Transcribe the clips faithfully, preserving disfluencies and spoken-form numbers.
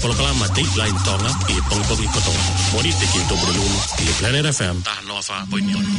Polokalama Dateline Tonga ʻi he pongipongi kotoa. Mōnite ki he Tupuna Lulu ʻi he Planet F M taha noa fā poini ono.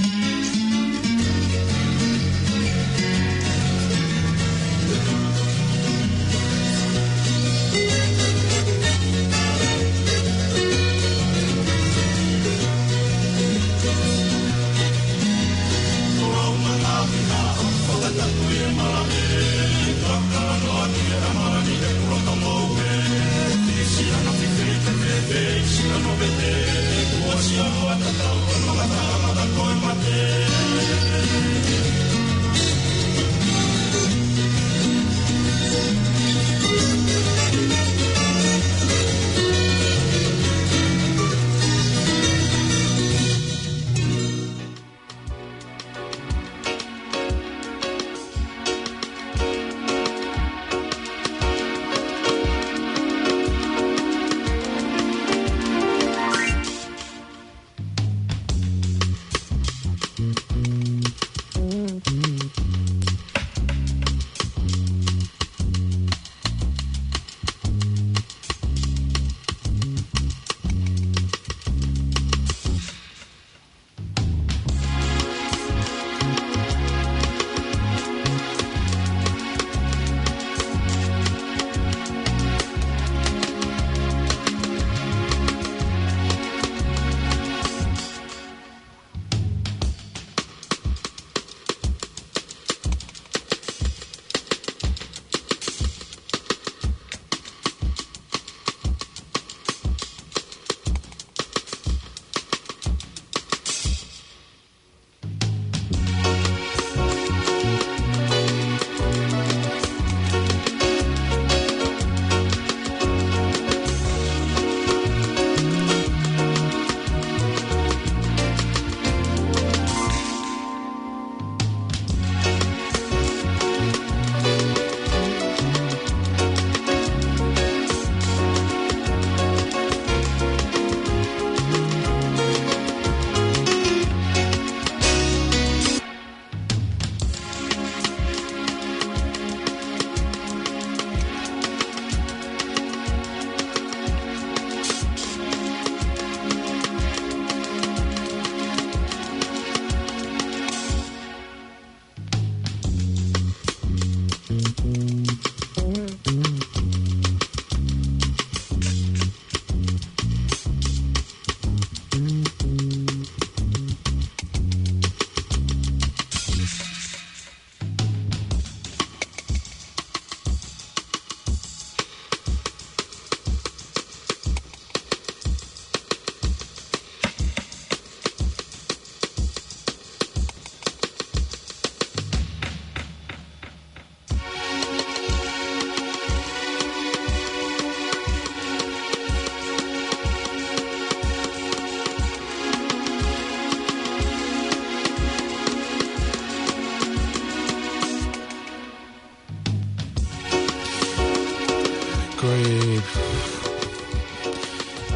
Ko e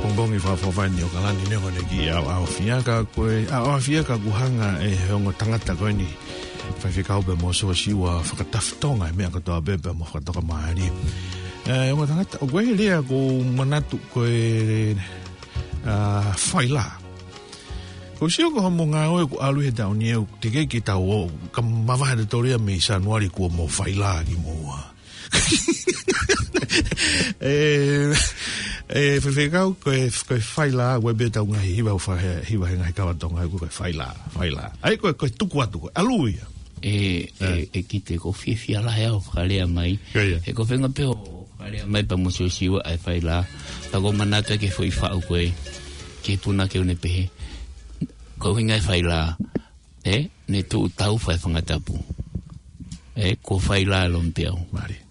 pongipongi fakaʻofoʻofa eni ʻo ʻAokalani, neongo ʻene kiʻi ʻaoʻaofia, ka ko e ʻaoʻaofia ka ʻoku hanga ʻe he ongo tangata ko eni, Faifekau pea mo Siosiua, fakatafutonga e meʻa kotoa pē pea mo fakatokamālie. ʻE, ongo tangata, ʻoku ʻi ai e lea ʻoku ou manatu ko e, ʻa, failā. ʻOku sio ko hoʻomou ngāue ʻoku ʻalu he taʻu ni ʻoku teʻeki ke tau ō, ka mavahe ʻa e toria mei Sānuali kuo mou failā kimoua. ʻE, ʻe, Faifekau, ko e, ko e failā, ʻoku ʻi ai pē ʻetau ngaahi hiva, ʻoku fa-, hiva he ngaahi kava Tonga, ko e failā, failā. ʻA ia ko e, ko e tuku atu, ko e ʻalu ia. ʻE, ʻe, ʻe, ʻEkite, ʻoku ou fiefia lahi au ʻo fakalea mai. Ko ia. He ko e feinga pē ʻo fakalea mai pea mo Siosiua ʻa e failā. Pea ʻoku ou manatu ki he foʻi faʻu ko ē, ki he punake ʻoku ne pehē, ko e ʻuhinga e failā, ʻe, ne tuʻu tau fai fanga tapu. ʻE, ko e failā e lomipeau. Mālie.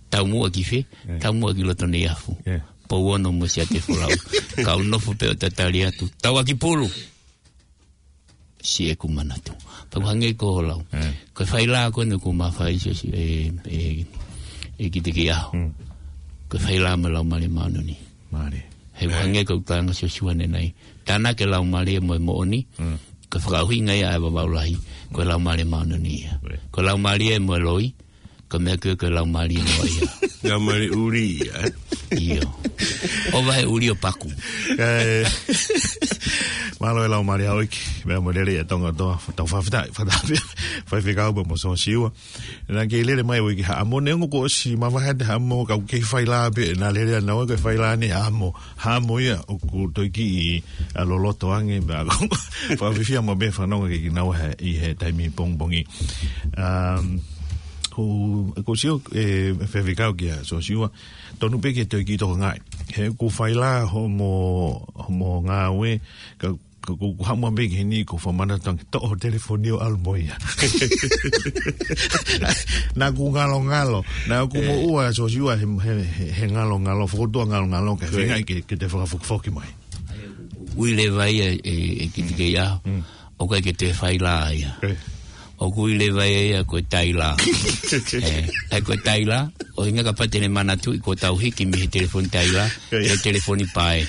Taumuʻa ki fē? ʻE. Taumuʻa ki loto Neiafu. ʻE. Pou Ono mo Siaosi Folau. Kau nofo pē ʻo tatali atu. Tauʻaki pulu. Siʻeku manatu. Pea ʻoku hangē ko hoʻo lau. ʻE. Ko e failā ko eni ʻoku ma fai Siosiua, ʻe, ʻe, ʻEkite ki he ʻaho. Mm. Ko e failā mo e Laumālie Māʻoniʻoni. Mālie. He ʻoku hangē ko e ʻuhinga Siosiua ʻanenai. Tānaki e Laumālie mo e moʻoni. Mm. Ko e fakaʻuhinga ia ʻa e Vavaʻu Lahi. Ko e Laumālie Māʻoniʻoni ia. ʻE. Ko e Laumālie mo e loi. Ko e meʻa ko ē ko e laumālie noa ia. Laumālie ʻuli ia, ē? ʻIo. ʻO vahe ʻuli ʻo paku. ʻE, mālō e lau mālie ʻa ʻEiki, meʻa mo e lelei ʻa Tonga kotoa, tau fakafetaʻi, fakatapu, Faifekau pea mo Siosiua. Naʻa ke lele mai ʻo ʻi he haʻamo, neongo kuo ʻosi mavahe atu e haʻamo, ka ʻoku kei fai lā pē, naʻa lele ʻana ʻo ko e fai lā ni haʻamo, haʻamo ia ʻoku toe kiʻi, ʻa, loloto ange, pea ko, fakafiefia mo e meʻa fanongo ke kinaua he, ʻi he taimi pongipongi. Um, ko, ko Sio, ʻe, Faifekau kia Siosiua, tonu pē ke toe kiʻi tokangaʻi. He ʻoku fai lā hoʻomo, hoʻomo ngāue, ka, ka ʻoku, ʻoku haʻamo pē ki heni ko e fakamanatu ange toʻo ho telefoni ʻo ʻalu mo ia. Naʻa ku ngalongalo, naʻa ku ʻE. moʻua Siosiua he, he, he, he ngalongalo, fokotuʻu ngalongalo, ka ʻE. feinga ke, ke te fakafokifoki mai. ʻOku ʻi leva ia ʻe, ʻe kiʻi kei ʻaho. Mm. ʻOku ʻikai ke toe fai lā ia. ʻE. ʻOku ʻi leva ia ko e taila. ʻE, ʻa ia ko e taila, ʻuhinga kapau te ne manatuʻi kuo tau hiki mei he telefoni taila, ʻE. ki he telefoni pae.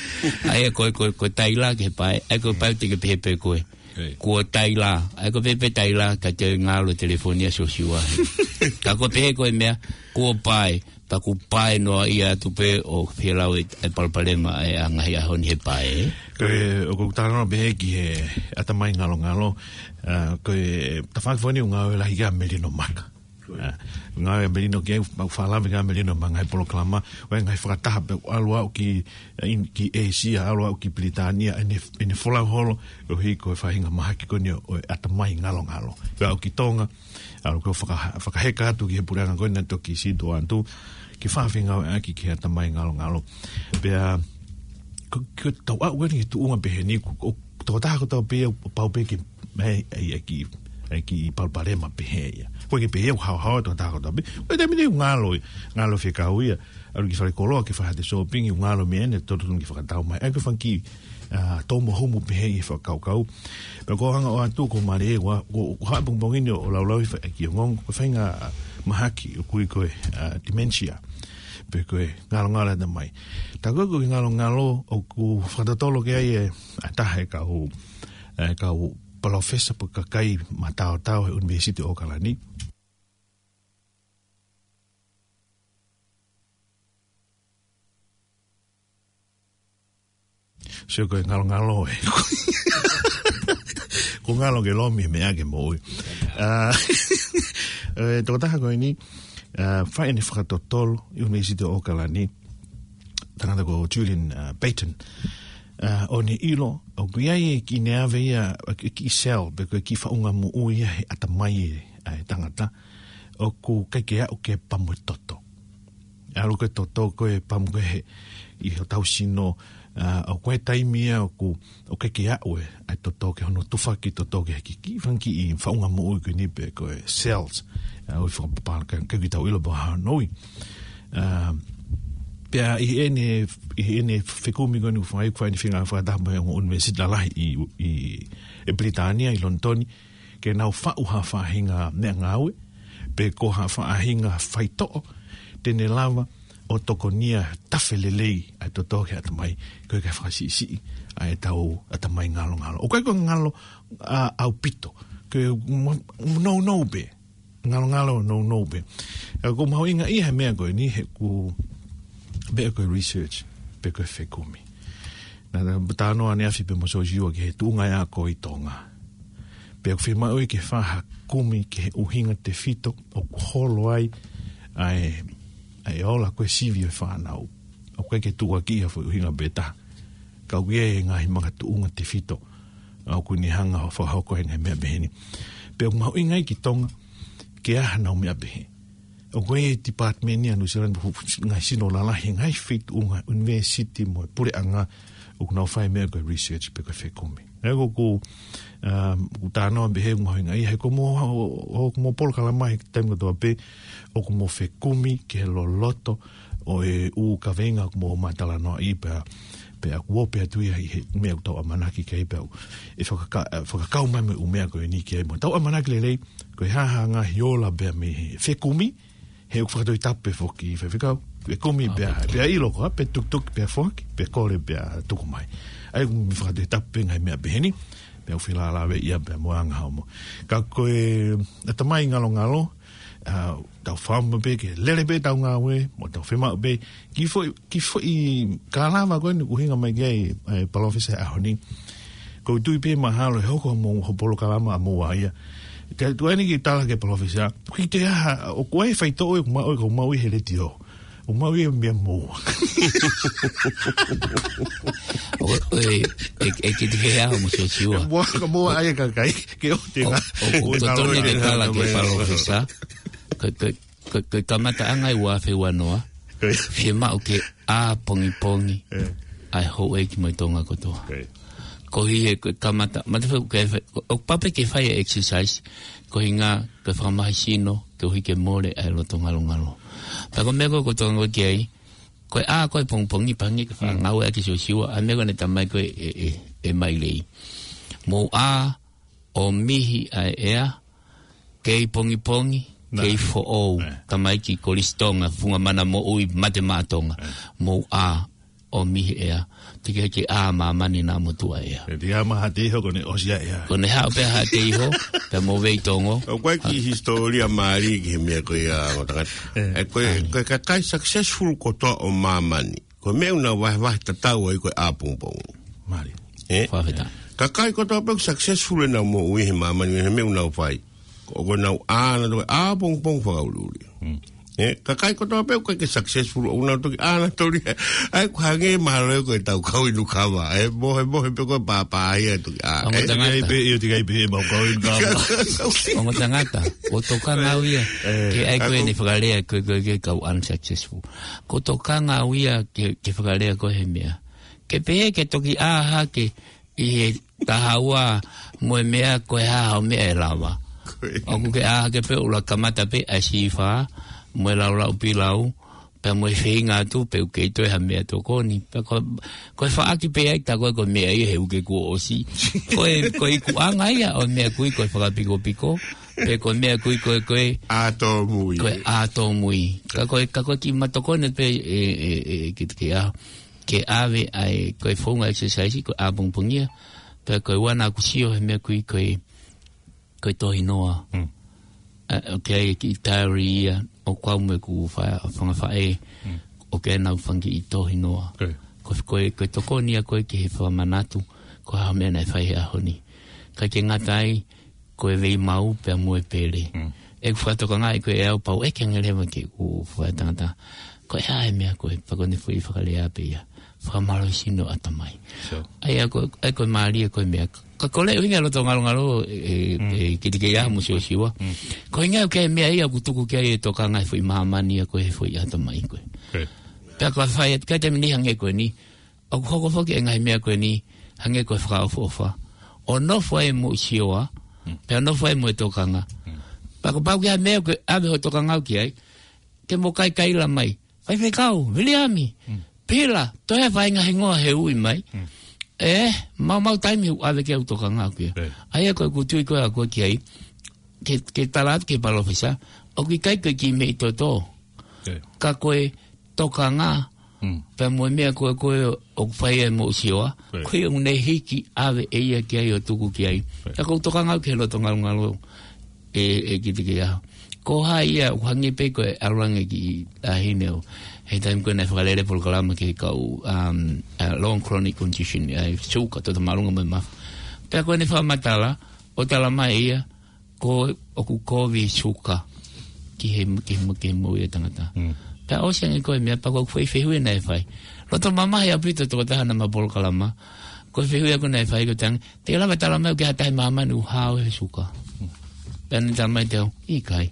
ʻA ia ko, ko, ko e taila ki he pae, ʻa ia ko e pae te ke pehē pē koe. ʻE. Kuo taila, ʻa ia ko e pehē pē taila, ka te ngalo telefoni ʻa Siosiua. Ka ko e pehē ko e meʻa, kuo pae, pea ʻoku pae noa ia atu pē ʻo pehē lau e, e palopalema ʻa e ngaahi ʻaho ni he pae. Ko e, ʻoku ou talanoa pē ki he ʻatamai ngalongalo, ʻa, ko e tafaʻaki foki ʻoku ngāue lahi ki ai ʻa Melino Maka. ʻA, ngāue ʻa Melino ki ai, ʻoku fakalave ki ai ʻa Melino mo e ngaahi polokalama, ʻo e ngaahi fakataha pē ʻalu ʻo aʻu ki, ʻa, in, ki ʻĒsia, ʻalu ʻo aʻu ki Pilitānia, ʻene, ʻene folau holo, ʻo hiki ko e faʻahinga mahaki ko eni ʻo, ʻo e ʻatamai ngalongalo. Pea aʻu ki Tonga, ʻalu ko e faka-, fakaheka atu ki he puleʻanga ko eni naʻe toki sītuʻa atu, ke fakafengāueʻaki ki he ʻatamai ngalongalo. Pea, ko, ko e tau aʻu ko eni ki he tuʻunga pehē ni, ko, ko, tokotaha kotoa pē ia, pau pē ke, ʻai, ʻai, ʻai kiʻi, ʻai kiʻi palopalema pehē ia. ʻOku ʻikai ke pehē ia ʻoku haohaoa tokotaha kotoa pē. ʻOku ʻi ai e taimi ʻoku ngalo, ngalo fekau ia. ʻAlu ki falekoloa ke fai haʻate sōpingi, ʻoku ngalo mei heni, totonu ke fakatau mai. ʻA ia ko e fanga kiʻi, ʻa, tō mo humu pehē ʻi he fakakaukau. Pea ko e anga ʻoatu ko Mare, ua, ko, ko e hā pongipongi ni ʻo laulau ʻi he faʻahi ongoongo, ko e faʻahinga mahaki ʻoku ui ko e, ʻa, dementia. Pe ko e ngalongalo ʻatamai. Tā ko e, ko e ngalongalo ʻoku fakatotolo ki ai e, ʻa e taha e kau, e kau palōfesa pe kakai mataotao he ʻUnivēsiti ʻAokalani. Sio ko e ngalongalo ē. Ko e ngalo ke lomi meʻa ke moʻui. ʻA, e, tokotaha ko eni, ʻa, fai ʻene fakatotolo ʻi ʻUnivēsiti ʻAokalani, tangata ko Julian, ʻa, Payton. ʻA, ʻo ne ʻilo, ʻoku ʻi ai e kiʻi neave ia, e kiʻi cell, pe ko e kiʻi faʻunga moʻui ia he ʻatamai ē, ʻa e tangata, ʻoku ʻikai ke aʻu ke pamu e toto. ʻAlu ko e toto ko e pamu ko ē he, ʻi hotau sino, ʻa, ʻoku ʻi ai e taimi ia ʻoku, ʻoku ʻikai ke aʻu e, ʻa e toto ki hono tufaki, toto ki he kiʻi, kiʻi fanga kiʻi faʻunga moʻui ko eni pe ko e cells, ʻa, ʻoku fakapapālangi, ʻikai ke tau ʻilo pe ko e hā hono ui. ʻA, pea ʻi heʻene, ʻi heʻene fekumi ko eni ʻoku fai, ʻoku fai ʻene feinga fakataha mo e ongo ʻunivēsiti lalahi ʻi, ʻi, ʻi Pilitānia, ʻi Lonitoni, ke nau faʻu ha faʻahinga meʻangāue, pe ko ha faʻahinga faitoʻo, te ne lava ʻo tokonia tafe lelei ʻa e toto ki he ʻatamai, ko e kae fakasiʻisiʻi ʻa e tau ʻatamai ngalongalo. ʻOku ʻikai ko e ngalo, ʻa, ʻaupito, ko e mo-, nounou pē, ngalongalo nounou pē. ʻA, ʻoku mahuʻinga ia he meʻa ko eni he ʻoku, pe ko e research, pe ko e fekumi. Naʻa ta talanoa ʻaneafi pē mo Siosiua ki he tuʻunga e ako ʻi Tonga. Pea ʻoku fiemaʻu ke fai ha kumi ki he ʻuhinga tefito ʻoku holo ai ʻa e, ʻa e ola ko e sivi ʻo e fānau. ʻOku ʻikai ke tukuakiʻi ha foʻi ʻuhinga pē taha. Ka ʻoku ʻi ai e ngaahi makatuʻunga tefito ʻoku ne hanga ʻo fakahoko ai e ngaahi meʻa pehē ni. Pea ʻoku mahuʻinga ia ki Tonga, ke ʻi ai haʻanau meʻa pehē. ʻOku ʻi ai e department ʻi Nuʻu Sila, ngaahi sino lalahi, ngaahi feituʻu, ngaahi ʻunivēsiti mo e puleʻanga, ʻoku nau fai meʻa ko e research pe ko e fekumi. ʻA ia ʻoku, um, ʻoku talanoa pehē ʻoku mahuʻinga ia, he ko hoʻomo, ʻo, ʻo, ʻoku mo polokalama he taimi kotoa pē, ʻoku mo fekumi ki he loloto ʻo e ʻū kaveinga ʻoku mo matalanoaʻi pea, pea ʻoku ope atu ia ʻi he meʻa ʻoku tau ʻamanaki ki ai pea ʻe fakaka-, fakakau mai mo e ʻū meʻa ko eni ki ai mo tau ʻamanaki lelei, ko e hā ha ngaahi ola pea mei he fekumi, he ʻoku fakatoʻi tapu pē foki Faifekau, fekumi pea, pea ʻilo ko ā, pea tukituki pea foaki, pea kole pea tuku mai. ʻA ia ʻoku mei fakatoʻi tapu pē ngaahi meʻa pehē ni, pea ʻoku felālāveʻi ia pea mo e anga hoʻomo. Ka ko e ʻatamai ngalongalo, ʻa, tau fāmili pē ke lele pē tau ngāue, mo tau fiemaʻu pē, ki foʻi, ki foʻi kalama ko eni ʻoku hinga mai ki ai, ʻe, Palōfesa he ʻaho ni. Ko u tui pē mahalo ʻe hoko mo ho polokalama ʻa moua ia. Te tuʻu eni ke tala ki he Palōfesa, ʻoku ʻikai te ha, ʻoku ʻi ai e faitoʻo ʻoku maʻu, ʻoku maʻu ʻi he letiō. ʻOku maʻu ʻi he meʻa moua. ʻO, ʻe, ʻe, ʻe kiti he ʻaho mo Siosiua. Moua, ka moua ai e kakai, ke ʻoua te ngā. ʻO, ʻo, ʻo totonu ke tala ki he Palōfesa. Ko, ko, ko, ko e kamataʻanga ʻi he ua afe ua noa. Ko ia. Fiemaʻu ke ʻā pongipongi. ʻE. ʻA e houʻeiki mo e Tonga kotoa. Ko ia. Ko e, ko e kamata, mata feu ke fai, ʻo, ʻo pape ke fai e exercise. Ko e hinga, ke fakamahi sino, ke ʻuhi ke mole ʻa e loto ngalongalo. Pea ko e meʻa ko ē ʻoku tau ngāue ki ai, ko e ʻā ko ē pongipongi pē hangē ko e fai ngāue ʻa Siosiua, ʻa e meʻa ko ē naʻe talamai ko ē ʻe, ʻe, ʻe Mailei. Mou ʻā, ʻomihi ʻa e ʻea, kei pongipongi, kei foʻou, tamaiki Kolisi Tonga, funga mana moʻui, mate maʻa Tonga. Mou ʻā, ʻomihi ʻea, teʻeki ke ʻā māmani naʻa mo tuʻa ʻea. ʻE, teʻeki ʻā maha te iho, ko ʻene ʻosi ʻa ʻea. Ko ʻene haʻu pē ha te iho, pea mo vei tongo. ʻOku ʻi ai e kiʻi hisitōlia mālie ki he meʻa ko ia, ʻo tangata. ʻE, ko e, ko e kakai successful kotoa ʻo māmani. Ko e meʻa ʻoku nau vahevahe tatau ai ko e ʻā pongipongi. Mālie. ʻE? Fakafetaʻi. Kakai kotoa pē ʻoku successful ʻenau moʻui he māmani he meʻa ʻoku nau fai. Ko, ko ʻenau ʻā nautolu ʻā pongipongi fakaʻuliʻuli. ʻE, kakai kotoa pē ʻoku ʻikai ke successful ʻoku nau toki ʻā nautolu ia. ʻA ia ʻoku hangē mahalo ia ko e tau kau inu kava. ʻE, mohe, mohe pē ko e pāpā ia toki ʻā. Ongo tangata. Pē, ʻio, teʻeki ai pē mau kau inu kava. Ongo tangata, ʻoku tokanga au ia. Ke ʻai ko eni fakalea ko e, ko e, ko e kau unsuccessful. ʻOku tokanga au ia ke, ke fakalea ko e he meʻa. Ke pehē ke toki ʻā hake ʻi he taha ua mo e meʻa ko e hā hoʻo meʻa ʻe lava. ʻOku ke ʻā hake pē ʻo ʻuluaki kamata pē ʻa e sīfā, mo e laulau pilau, pea mo e feinga atu pē ʻoku kei toe ha meʻa tokoni. Pea ko, ko e faʻaki pē ai tā ko e ko e meʻa ia he uike kuo ʻosi. Ko e, ko e ikuʻanga ia ʻo e meʻa kui ko e fakapikopiko. Pe ko e meʻa kui ko e, ko e ʻā tōmui. Ko e ʻā tōmui. Ka ko e, ka ko e kiʻi matokoni pē ʻe, ʻe, ʻe, ʻe kite ke ʻā. Ke ʻave ʻa e, ko e founga exercise, ko e ʻā pongipongi ia. Pea ko e ua naʻa ku sio he meʻa kui ko e, ko e tohinoa. ʻA, ʻoku ʻi ai e kiʻi diary ia, ʻoku ou mo ʻeku fa-, fanga faʻē, ʻoku ʻi ai ʻenau fanga kiʻi tohinoa. Ko e, ko e tokoni ia ko e ki he fakamanatu, ko e hā e meʻa naʻe fai he ʻaho ni. ʻIkai ke ngata ai, ko e veimau pea mo e pele. ʻEku fakatokangaʻi ko e ʻe au pau ʻeke ange leva ki heʻeku faʻētangata. Ko e hā e meʻa ko e, pea ko ʻene foʻi fakalea pē ia. Fakamālohisino ʻatamai. ʻA ia ko, ʻa ia ko e mālie ko e meʻa. Ka ko e ʻuhinga loto ngalongalo ʻe, ʻe, ʻe kite ke ʻā mo Siosiua. Ko e ʻuhinga ko e meʻa ia ʻoku tuku ki ai e tokanga he foʻi māmani ia ko e he foʻi ʻatamai ko e. Pea ko e fai atu ki he taimi ni hangē ko eni. ʻOku hoko foki e ngaahi meʻa ko eni, hangē ko e fakaʻofoʻofa. ʻO nofo ai mo Sioa, pea nofo ai mo e tokanga. Pea kapau ko ha meʻa ko e ʻave ho tokanga ki ai, ke mo kaikaila mai. Faifekau, Viliami, Pila, toe fai ngaahi hingoa he ui mai. ʻE, mau mau taimi ʻoku ʻave ke u tokanga ki ai. ʻA ia ko ʻeku tui ko ē ʻaʻaku ki ai, ke, ke tala atu ki he palōfesa, ʻoku ʻikai ko e kiʻi meʻi toto. Ka ko e tokanga, pea mo e meʻa ko e, ko e ʻoku fai ai mo Sioa, ko e ʻoku ne hiki ʻave ʻe ia ki ai ʻo tuku ki ai. Ka ko e tokanga ki he loto ngalongalo ʻe, ʻe kite ke ʻā. Ko hai ia, ʻoku hangē pē ko e ʻalu ange ki ʻa hine ʻo. He taimi ko ē naʻe fakalele polokalama ki he kau, um, ʻa long chronic condition, ʻa e suka, toto māʻolunga mo e mafu. Pea ko ʻene fakamatala, ʻo tala mai ia, ko ʻoku kovi suka ki he, ki he, ki he moʻui ʻa e tangata. Pea ʻosi ange ko e meʻa pea ko e foʻi fehuʻi naʻe fai. Loto mamahi ʻaupito tokotaha naʻa ma polokalama. Ko e fehuʻi ʻaʻaku naʻe fai ko e tang, te lava tala mai ʻoku ʻi ai ha taha ʻi māmani ʻoku hao he suka. Pea ne tala mai te au, ʻikai.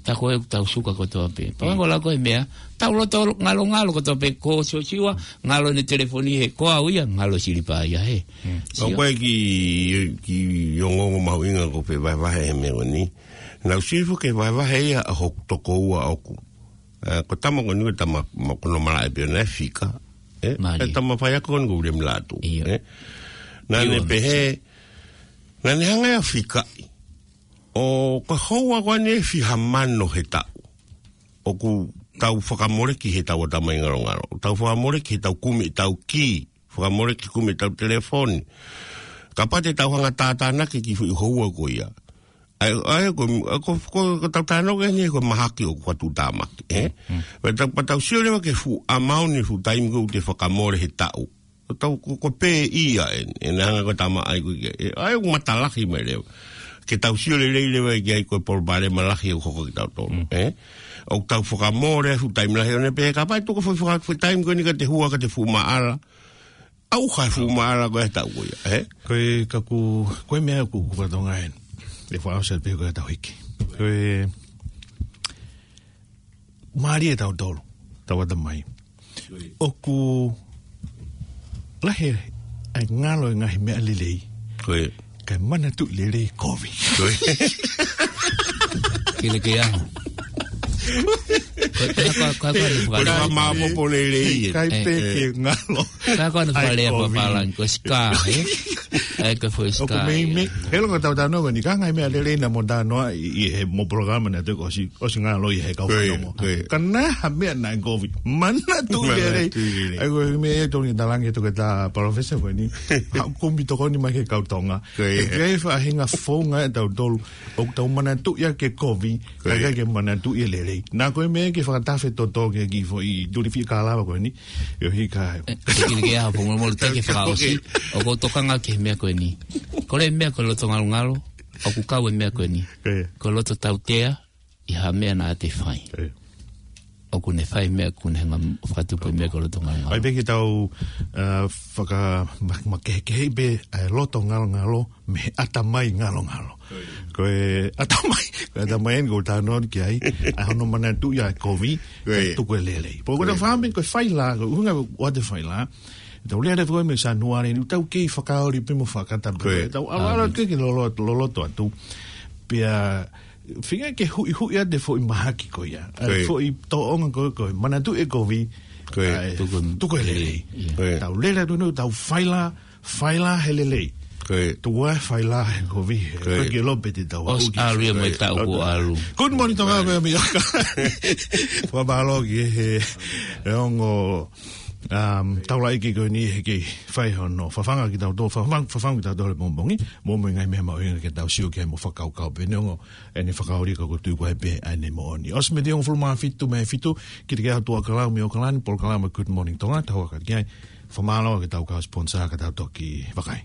Tā ko ē ʻoku tau suka kotoa pē. Pea ko e lau ko e meʻa, tau loto ngalongalo kotoa pē ko Siosiua, ngalo ʻene telefoni he, ko au ia, ngalo e silipa ia he. ʻOku ʻi ai e kiʻi, kiʻi ongoongo mahuʻinga ʻoku ou fie vahevahe he meʻa ko eni. Naʻa ku sio foki he vahevahe ia ʻa hoku tokoua ʻoʻoku. Ko e tama ko eni ko e tama, ma, ko hono malaʻe pē ʻoʻona ʻe Fika. ʻE tama faiako ko eni ko Uliami Lātū. Naʻa ne pehē, naʻa ne hanga ia ʻo fikaʻi. ʻO ko e houa ko eni ʻe fiha mano he taʻu. ʻOku tau fakamoleki he tau ʻatamai ngalongalo. Tau fakamoleki he tau kumi ʻetau kī. Fakamoleki kumi ʻetau telefoni. Kapau te tau hanga tātānaki ki he foʻi houa ko ia. ʻA ia, ʻa ia ko, ko, ko, ko tau talanoa ki ai ʻeni ko e mahaki ʻoku tuʻutāmaki, ē? Mm. Pea tau, pea tau sio leva ki he fuʻu amount ʻi he fuʻu taimi ko ē ʻoku te fakamole he taʻu. Ko tau, ko, ko pē ia ʻeni, ʻe hanga ko e tamaʻi ko ē, ē, ʻa ia ʻoku matalahi mai leva. Ke tau sio lelei leva ki ai ko e palopalema lahi ʻoku hoko kiate kitautolu, Mm. ē? ʻOku tau fakamole he fuʻu taimi lahi ʻo ne pehē kapau ʻe tuku e foʻi faka-, foʻi taimi ko eni ka te hua, ka te fuʻu maʻala. ʻAuha e fuʻu maʻala ko ē he taʻu ko ia, ē? Ko e kaku, ko e meʻa ʻoku, ʻoku fatongia ʻeni. ʻE fakaʻosi pē ko e tau hiki. Ko e mālie ʻa tautolu, tau ʻatamai. ʻOku lahi ʻa e ngalo e ngaahi meʻa lelei. Ko e. Kae manatuʻi lelei kovi. Ko e. Kile ke aho. Ko e, ko e, ko e, ko e, Ko e ko e, fakapopo lelei, ē. Kai Eh. pē ke ngalo. Ka ko ʻene Ai, fakalea kovi. Papālangi, ko e scar, ē? ʻA ia ko e foʻi ʻOku scar, mei, ē. mei, he loko tau tano ni, ka ngai meʻa lelei naʻa mo tano ʻi, ʻi he mo polokalama naʻe tō ʻosi, ʻosi ngalo ʻi he kau Ko ia, fanongo. ko ia. Ka naʻe ha meʻa naʻe kovi. Manatuʻi Manatuʻi lelei. lelei. ʻA ia ko e meʻa ʻe tō ni talangi ʻe tō ke tā palōfesa ko eni. Ha kumi tokoni mai ki he kau Tonga. Ko ia. ʻE ke faʻahinga founga ʻe tautolu. ʻOku tau manatuʻi ʻa e kovi, Ko ia. ʻikai ke manatuʻi e lelei. Naʻa ko e meʻa ke fakatafe toto ke ki foʻi tuli fika lava ko eni. ʻIo hika. Eh, kile ke aho, Pongolomo, te ke fakaʻosi. ʻOku ou tokanga ki he meʻa ko eni. Ko e meʻa ko e loto ngalongalo, ʻoku kau e meʻa ko eni. Ko ia. Ko e loto tautea, ʻi ha meʻa naʻa te fai. Ko ia. ʻOku ne fai meʻa, ʻoku ne hanga fakatupu e meʻa ko e loto ngalongalo. ʻAi pē ke tau, uh, faka-, ma-, makehekeheʻi pē, ʻa e loto ngalongalo, mei he ʻatamai ngalongalo. Ko e ʻatamai, ko e ʻatamai ʻeni ʻoku ou tano ki ai, ʻa hono manatuʻi ʻa e kovi, Ko e. ʻe tuku e lelei. Pea ko e Ko e. tau fāmi, ko e faila, ko e ʻuhinga ʻoku ʻoatu e faila. Tau lea lea ko e meʻa Sanuali ni, tau kei fakaoli pē mo fakata pē. Ko e. Tau ʻalu ʻalu Amen. ke ke loloto, loloto atu. Pea, feinga ke huʻihuʻi ʻa e foʻi mahaki ko ia. ʻA e Ko e. foʻi tōʻonga ko ē ko e, manatuʻi e kovi, Ko e. ʻa e Tuku. tuku e lelei. Ia. Ko e. Tau lea lea atu ni, tau faila, faila he lelei. Ko e. Tuku ā faila he kovi, he Ko e. kovi ke lope te tau ʻOsi haʻu ki ʻalu ia mo e Ko e. taʻu kuo ʻalu. Good morning, Tonga, ko e meʻa ka. Fakamālō ki he, he ongo, um, taulaʻeiki ko eni he kei fai hono fafanga kitautolu, fafang-, fafanga kitautolu he pongipongi, mo e ngaahi meʻa mahuʻinga ke tau sio ki ai mo fakakaukau pē. Neongo ʻene fakaoli ka ʻoku ou tui ko e pē ʻa ʻene moʻoni. ʻOsi miniti ʻe hongofulu mā fitu mei he fitu, kile ke aho, Tuʻa Kalau mei ʻAokalani, polokalama Good Morning Tonga, tau hoko atu ki ai. Fakamālō ki he kau kau sponsor ka tau toki vakai.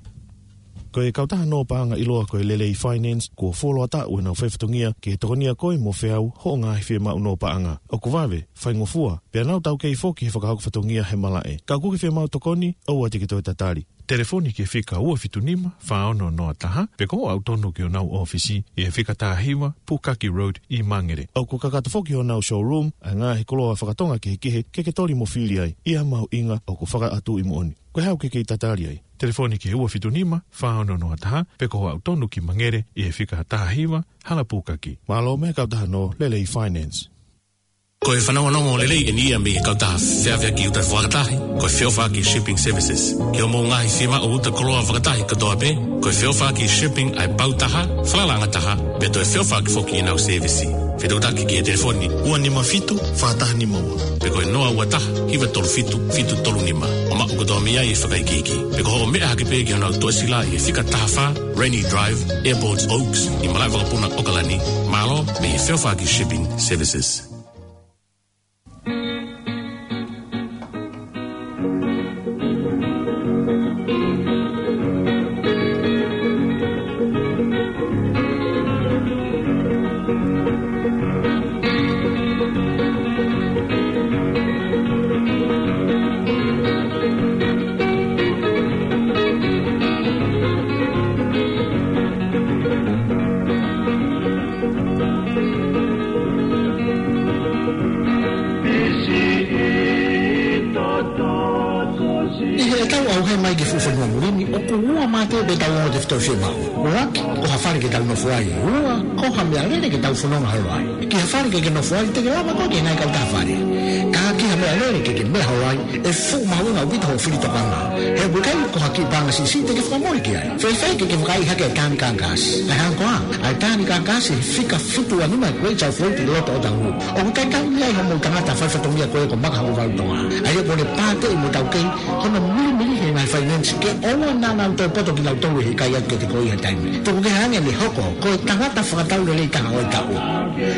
Ko e kautaha nō paʻanga ʻiloa ko e Lelei Finance, kuo fuoloa taʻu ʻenau faifatongia ke tokonia koe mo feau hoʻo ngaahi fiemaʻu nō paʻanga. ʻOku vave, faingofua, pea nau taukei foki he fakahoko fatongia he malaʻe. Ka ʻoku ke fiemaʻu tokoni, ʻoua te ke toe tatali. Telefoni ki he fika ua fitu nima, fā ono noa taha, pe ko hoʻo aʻu tonu ki honau ʻōfisi ʻi he fika taha hiva, Pukaki Road ʻi Mangere. ʻOku kakato foki honau showroom ʻa e ngaahi koloa fakatonga kehekehe ke ke toli mo fili ai, ʻi ha mahuʻinga ʻoku fakaʻatuʻi moʻoni. Ko e hā ʻoku ke kei tatali ai? Telefoni ki he ua fitu nima, fā ono noa taha, pe ko hoʻo aʻu tonu ki Mangere ʻi he fika taha hiva, Hala Pukaki. Mālō mei he kautaha nō Lelei Finance. Ko e fanongonongo lelei ʻeni ia mei he kautaha feʻaveʻaki uta fakatahi, ko e Feʻofaʻaki Shipping Services. Ki hoʻomou ngaahi fiemaʻu uta koloa fakatahi kotoa pē, ko e Feʻofaʻaki Shipping ʻa e pau taha, falalaʻanga taha, pea toe feʻofaʻaki foki ʻenau sēvisi. Fetuʻutaki ki he telefoni ua nima fitu, fā taha nima ua. Pe ko e noa ua taha, hiva tolu fitu, fitu tolu nima. ʻO maʻu kotoa mei ai e fakaikiiki. Pe ko hoʻo meʻa hake pē ki honau toʻesila ʻi he fika taha fā, Rainy Drive, Airport Oaks, ʻi malaʻe vakapuna ʻAokalani. Mālō mei he Feʻofaʻaki Shipping Services. ʻI heʻetau ʻauhē mai ki he fuʻu fonua muli ni, ʻoku ua mā te pē ʻetau ongo tefitoʻi fiemaʻu. ʻUluaki, ko ha fale ke tau nofo ai. Ua, ko ha meʻalele ke tau fononga holo ai. Ki ha fale ke ke nofo ai, te ke lava koe ke ngai kau taha fale. Ka ki ha Meʻalele ke ke meʻa holo ai, ʻe fuʻu mahuʻinga ʻaupito hoʻo fili tokanga. He ʻoku ʻikai ko ha kiʻi paʻanga siʻisiʻi te ke fakamoʻui ki ai. Fēfē ke ke vakaiʻi hake e tāniki kākāsi? ʻA e hā koā? ʻA e tāniki kākāsi he fika fitu ua nima e Great South Road ʻi loto ʻo Otahuhu. ʻOku ʻikai kau ia ʻi hoʻomou tangata faifatongia ko ē ko Maka Hokovalu Tonga. ʻA ia ʻoku ne pāteʻi mo taukei hono milimili he ngaahi finance ke ʻoua naʻa nau tō poto kinautolu he ʻikai atu ke te ko ia taimi. Tuku kehe ange ʻene hoko ko e tangata fakatau lelei taha ʻo e taʻu.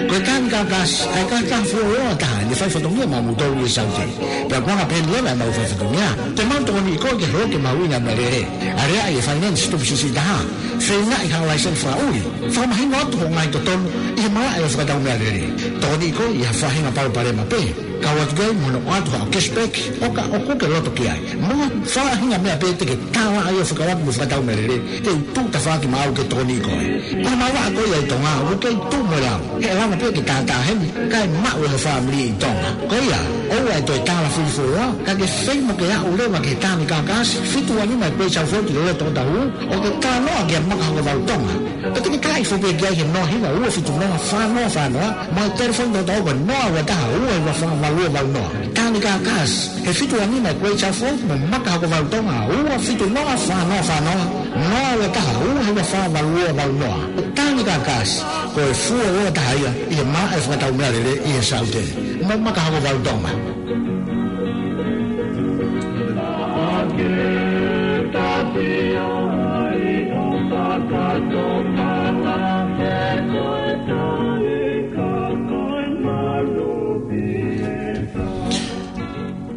Ko e tāniki kākāsi, ʻa e kākā fuoloa taha ʻene faifatongia maʻamoutolu ʻi Saute. Pea ko e anga pē ʻeni leva ʻemau faifatongia, te mau tokoniʻi koe ke hoko ke mahuʻinga e meʻalele. Aleaʻi e finance tupu siʻisiʻi taha. Feingaʻi ha laiseni fakaʻuli. Fakamahino atu hoʻo ngaahi totonu ʻi he malaʻe ʻo e fakatau meʻalele. Tokoniʻi koe ʻi ha faʻahinga palopalema pē. Kau atu ki ai mo hono ʻoatu haʻo cashback, ʻo ka ʻoku ke loto ki ai. Mo ha faʻahinga meʻa pē te ke tālaʻa ai ʻo fekauʻaki mo e fakatau meʻalele, te u tuʻu tafaʻaki maʻau ke tokoniʻi koe. Ko e malanga ko ia ʻi Tonga, ʻoku kei tuʻu mo e lau. He ʻe lava pē ke tātā heni, kae maʻu ʻe ho fāmili ʻi Tonga. Ko ia, ʻoua ʻe toe tālafili fuoloa, ka ke feinga ke aʻu leva ki he tāniki kākāsi fitu ua nima e Great South Road ʻi loto ʻo Otahuhu, ʻo ke talanoa kia Maka Hokovalu Tonga. Pea te ke taaʻi foki pē ki ai he noa hiva ua fitu noa fā noa fā noa, mo e telefoni tokotaha ko e noa ua taha ua hiva fā valu ua valu noa. Tāniki kākāsi, he fitu ua nima e Great South Road mo Maka Hokovalu Tonga, ua fitu noa fā noa fā noa, noa ua taha ua hiva fā valu ua valu noa. Tāniki kākāsi, ko e fuoloa taha ia ʻi he malaʻe fakatau meʻalele ʻi he Saute. Mo Maka Hokovalu Tonga.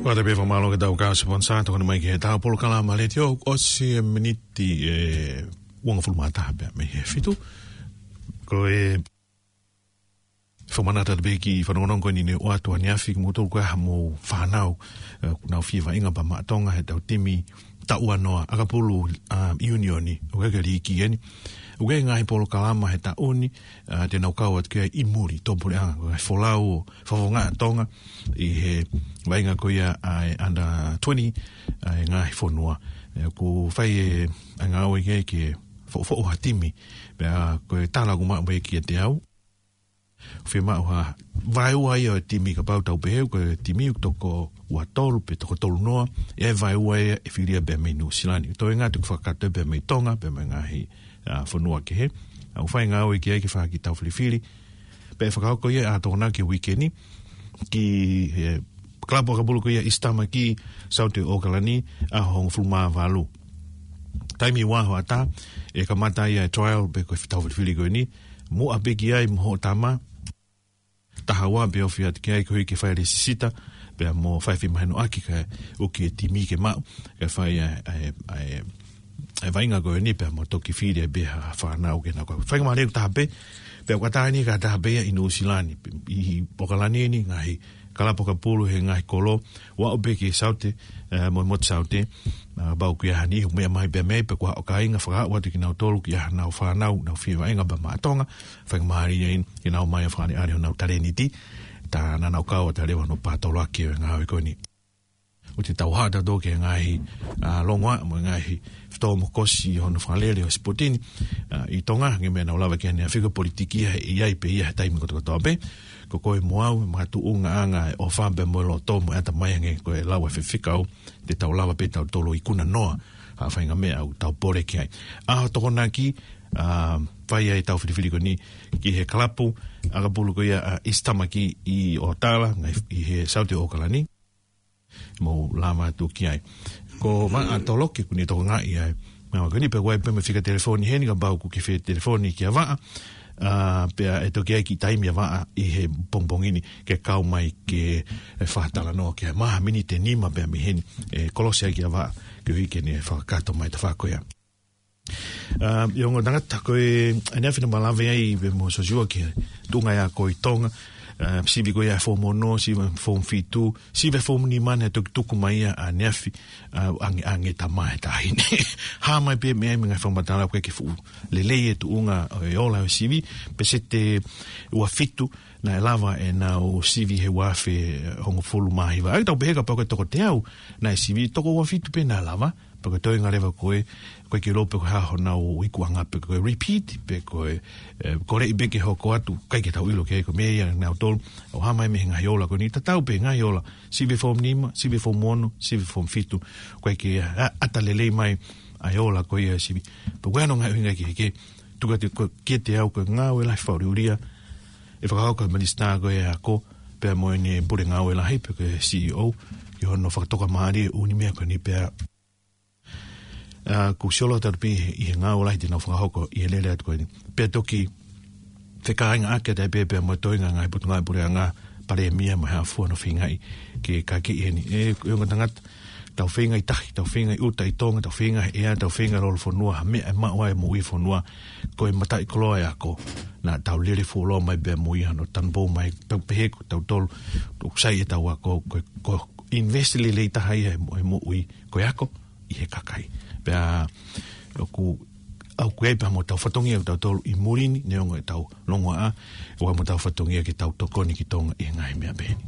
Ua te pē fakamālō ki he tau kau siponsa, tokoni mai ki he tau polokalama letiō, ʻosi e miniti ʻe uongofulu mā taha pē mei he fitu. Ko e fakamanatu atu pē ki he fanongonongo ko eni ne ʻoatu ʻaneafi kimoutolu ko ē ha mou fānau, ē, ʻoku nau fie vaʻinga pea maʻa Tonga he tau timi taʻu ua noa ʻakapulu, ā, ʻiunioni, ʻoku ʻikai ke liiki eni. ʻOku ʻi ai e ngaahi polokalama he taʻu ni, ā, te nau kau atu ki ai ʻi muli, tō puleʻanga, ko e ngaahi folau ʻo fakafofongaʻi ʻa Tonga, ʻi he vaʻinga ko ia ʻa e under twenty, ʻa e ngaahi fonua. Ē, ʻoku fai e, ʻa e ngāue ki ai ke foʻofoʻo ha timi, pea ko e tala ʻoku maʻu mai kiate au. Fiemaʻu ha vaeua ia ʻo e timi kapau tau pehē, ko e timi ʻoku toko ua tolu pe toko tolu noa, ʻe vaeua ia ʻe fili ia pea mei Nuʻusila ni. Toe ngata ʻoku fakakakato pea mei Tonga, pea mei he ngaahi, ā, fonua kehe. ʻOku fai ngāue ki ai ke fai ki he tau filifili. Pea ʻe fakahoko ia ʻa Tonga ki he uike ni, ki he kalapu ʻakapulu ko ia ʻIsitamaki, Saute ʻo ʻOkalani, ʻaho hongofulu mā valu. Taimi ua hoʻatā, ʻe kamata ia e trial pe ko e tau filifili ko eni, muʻa pē ki ai mo hoʻo tama, taha ua pē ofi atu ki ai koeʻuhi ke fai e lēsisita, pea mo fai e fiemahinoʻaki kae ʻuki e timi ke maʻu, ke fai ʻa e, ʻa e, ʻa e, ʻa e vaʻinga ko eni pea mo toki fili ai pē ha fānau ke nau kau. Faingamālie taha pē, pea ʻoku ʻatā eni ka taha pē ia ʻi Nuʻusila ni, ʻi ʻOkalani ni, ngaahi kalapu ʻakapulu he ngaahi kolo, ʻo aʻu pē ki Saute, ē, mo e motu Saute, ā, pau ki ai ha niʻihi ʻoku meʻa mai pea mei, pe ko ha ʻo kāinga fakaaʻu atu kinautolu ki ai haʻanau fānau, nau fie vaʻinga pea maʻa Tonga, faingamālie eni, ke nau ō mai ʻo fakaʻaliʻali honau talēniti, tā naʻa nau kau atu leva hono patoloaki ʻo e ngāue ko eni. ʻOku te tauhaʻa tautolu ki he ngaahi, ā, longoaʻa mo e ngaahi fetōmokosi ʻi hono fakalele ʻo e sipoti ni, ā, ʻi Tonga, hangē ko e meʻa naʻa ku lave ki ai ʻaneafi, ko e politiki ia he ʻe ʻi ai pē ia he taimi kotokotoa pē. Ko koe mo au, makatuʻunga ʻa e ʻofa pea mo e loto mo e ʻatamai hangē ko e lau ʻa e faifekau, te tau lava pē tautolu ʻo ikuna noa ha faʻahinga meʻa ʻoku tau pole ki ai. ʻAho Tokonaki, ā, fai ai e tau filifili ko eni ki he kalapu ʻakapulu ko ia ʻa ʻIsitamaki ʻi ʻOtala, ngaahi, ʻi he Saute ʻo ʻOkalani. Mou lava atu ki ai. Ko Vaʻa Toloki ʻoku ne tokangaʻi ʻa e meʻa ko eni, pea ʻoku ʻi ai pē mo e fika telefoni heni kapau ʻoku ke fie telefoni kia Vaʻa, ā, pea ʻe toki ʻi ai e kiʻi taimi ʻa Vaʻa ʻi he pongipongi ni ke kau mai ke fakatalanoa ki ai, maha miniti ʻe nima pē mei heni, ʻe kolosi ai kia Vaʻa, koeʻuhi ke ne fakakakato mai e tafaʻaki ko ia. Ā, ʻi he ongo tangata ko ē, ʻaneafi naʻa ma lave ai pē mo Sosiua ki he tuʻunga ia ko ē ʻi Tonga, ā, sivi ko ia ʻa e foomu ono, sivi foomu fitu, sivi foomu nima naʻe toki tuku mai ia ʻaneafi, ā, ʻange, ʻange tama he taʻahine. Hā mai pē meʻa ia mei he ngaahi fakamatala ʻoku ʻikai ke fuʻu lelei e tuʻunga ʻo e ola ʻo e sivi, peseti ua fitu naʻe lava ʻenau sivi he ua afe hongofulu mā hiva. ʻA ia tau pehē kapau ko e toko teau naʻe sivi, toko ua fitu pē naʻe lava, Pea ko e toenga leva ko ē, ko e ke lō pe ko e hā honau ikuʻanga pe ko e repeat, pe ko e, e, ko e leʻi pē ke hoko atu, ʻikai ke tau ʻilo ki ai ko e meʻa ia nautolu, ʻo hā mai mei he ngaahi ola ko eni, tatau pē ngaahi ola, sivi form nima, sivi form ono, sivi form fitu, ko e ke a-, ʻata lelei mai, ʻa e ola ko ia sivi. Pea ko e hā hono ngaahi ʻuhinga ki he ke, tuku atu ko e kiate au ko e ngāue lahi fakaʻuliʻulia, ʻe fakahoko ʻe he minisitā ko ē ʻo e ako, pea mo ʻene pule ngāue lahi, pe ko e C E O, ʻi hono fakatoka mālie ʻo e ʻū meʻa ko eni pea, ʻa, ʻoku sioloa atu pē ʻi he ngāue lahi te nau fakahoko ʻi he lele atu ko eni. Pea toki fekāinga ake atu pē pea mo e toenga ngaahi potungāue puleʻanga, palēmia mo e hā fua hono feingaʻi ke kakeʻi heni. ʻE, ʻe ongo tangata, tau feinga ʻi tahi, tau feinga ʻi ʻuta ʻi Tonga, tau feinga ʻi ʻea, tau feinga ʻi lolofonua, ha meʻa ʻe maʻu ai e moʻui e fonua, ko e mataʻikoloa e ako. Naʻa tau lele fuoloa mai pea mo ia hono tanupou mai, pea pehē ko tautolu, ʻoku sai ʻetau ako, ko, ko invest lelei taha ia he mo-, he moʻui, ko e ako, ʻi he kakai. Pea, ʻoku, ʻoku ʻi ai pē mo ʻetau fatongia ʻo tautolu ʻi muli ni, neongo ʻetau longoaʻa, ʻoku ʻi ai mo ʻetau fatongia ke tau tokoni ki Tonga ʻi he ngaahi meʻa pehē ni.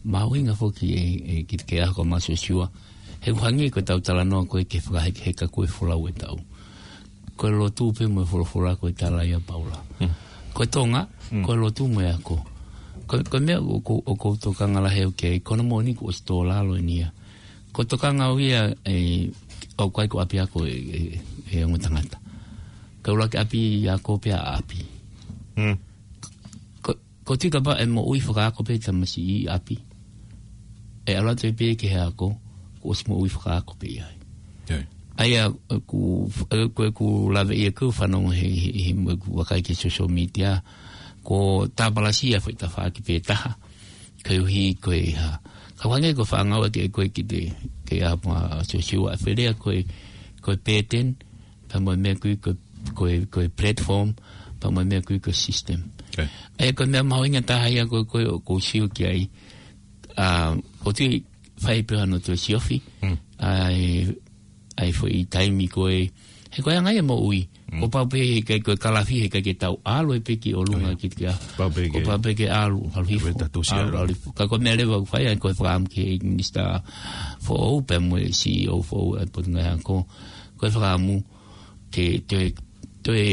Mahuʻinga foki e, e, ki he ako Mā Siosiua. He ʻoku hangē ko ʻetau talanoa ko ē ke fakahekeheka ko e folau ʻetau. Ko e lotu pē mo e folofola ko e tala ia ʻa Paula. Mm. Ko e Tonga, mm, ko e lotu mo e ako. Ko, ko e meʻa ʻoku, ʻoku ou tokanga lahi au ki ai, ko hono moʻoni kuo ʻosi tō lalo eni ia. Ko e tokanga au ia, e, ʻoku ʻikai ko ʻapiako e, e, e ongo tangata. Ka ʻuluaki ʻapi ako pea ʻapi. Mm. Ko, ko e tui kapau ʻe moʻui fakaako pē tamasiʻi ʻi ʻapi. ʻE ʻalu atu pē ki he ako, kuo ʻosi moʻui fakaako pē ia. ʻIo. ʻA ia, ʻoku, ʻoku, ʻoku lave ia ʻoku fanongo he, he, he, ʻoku vakai ki he social media, ko e tāpalasia foʻi tafaʻaki pē taha. Koeʻuhi ko e hā. Ka ʻoku hangē ko e fānau ʻa e ko ē ki he, ki he ako Mā Siosiua, ʻa e fēlea ko e, ko e pattern, pea mo e meʻa ko ē ko, ko e, ko e platform, pea mo e meʻa ko ē ko e system. Okay. ʻA ia ko e meʻa mahuʻinga taha ia ko, ko, ʻoku ou sio ki ai, ʻa, ʻoku ou tui fai pē hano toe siofi, mm, ʻa e, ʻa e foʻi taimi ko ē, he ko e anga ia e moʻui, mm, kuo pau pē he ʻikai ko e kalafi, he ʻikai ke tau ʻalu ē pē ki ʻolunga, oh, yeah, ki te kia. Pau pē kuo ke, pau pē ke ʻalu, ʻalu hifo, pē tatu sia ʻalu, ʻalu. ʻAlu hifo. Ka ko e meʻa leva ʻoku fai ai ko e fakaʻamu ki he minisitā foʻou pea mo e C E O foʻou ʻa e Potungāue Ako. Ko e fakaʻamu ke toe, toe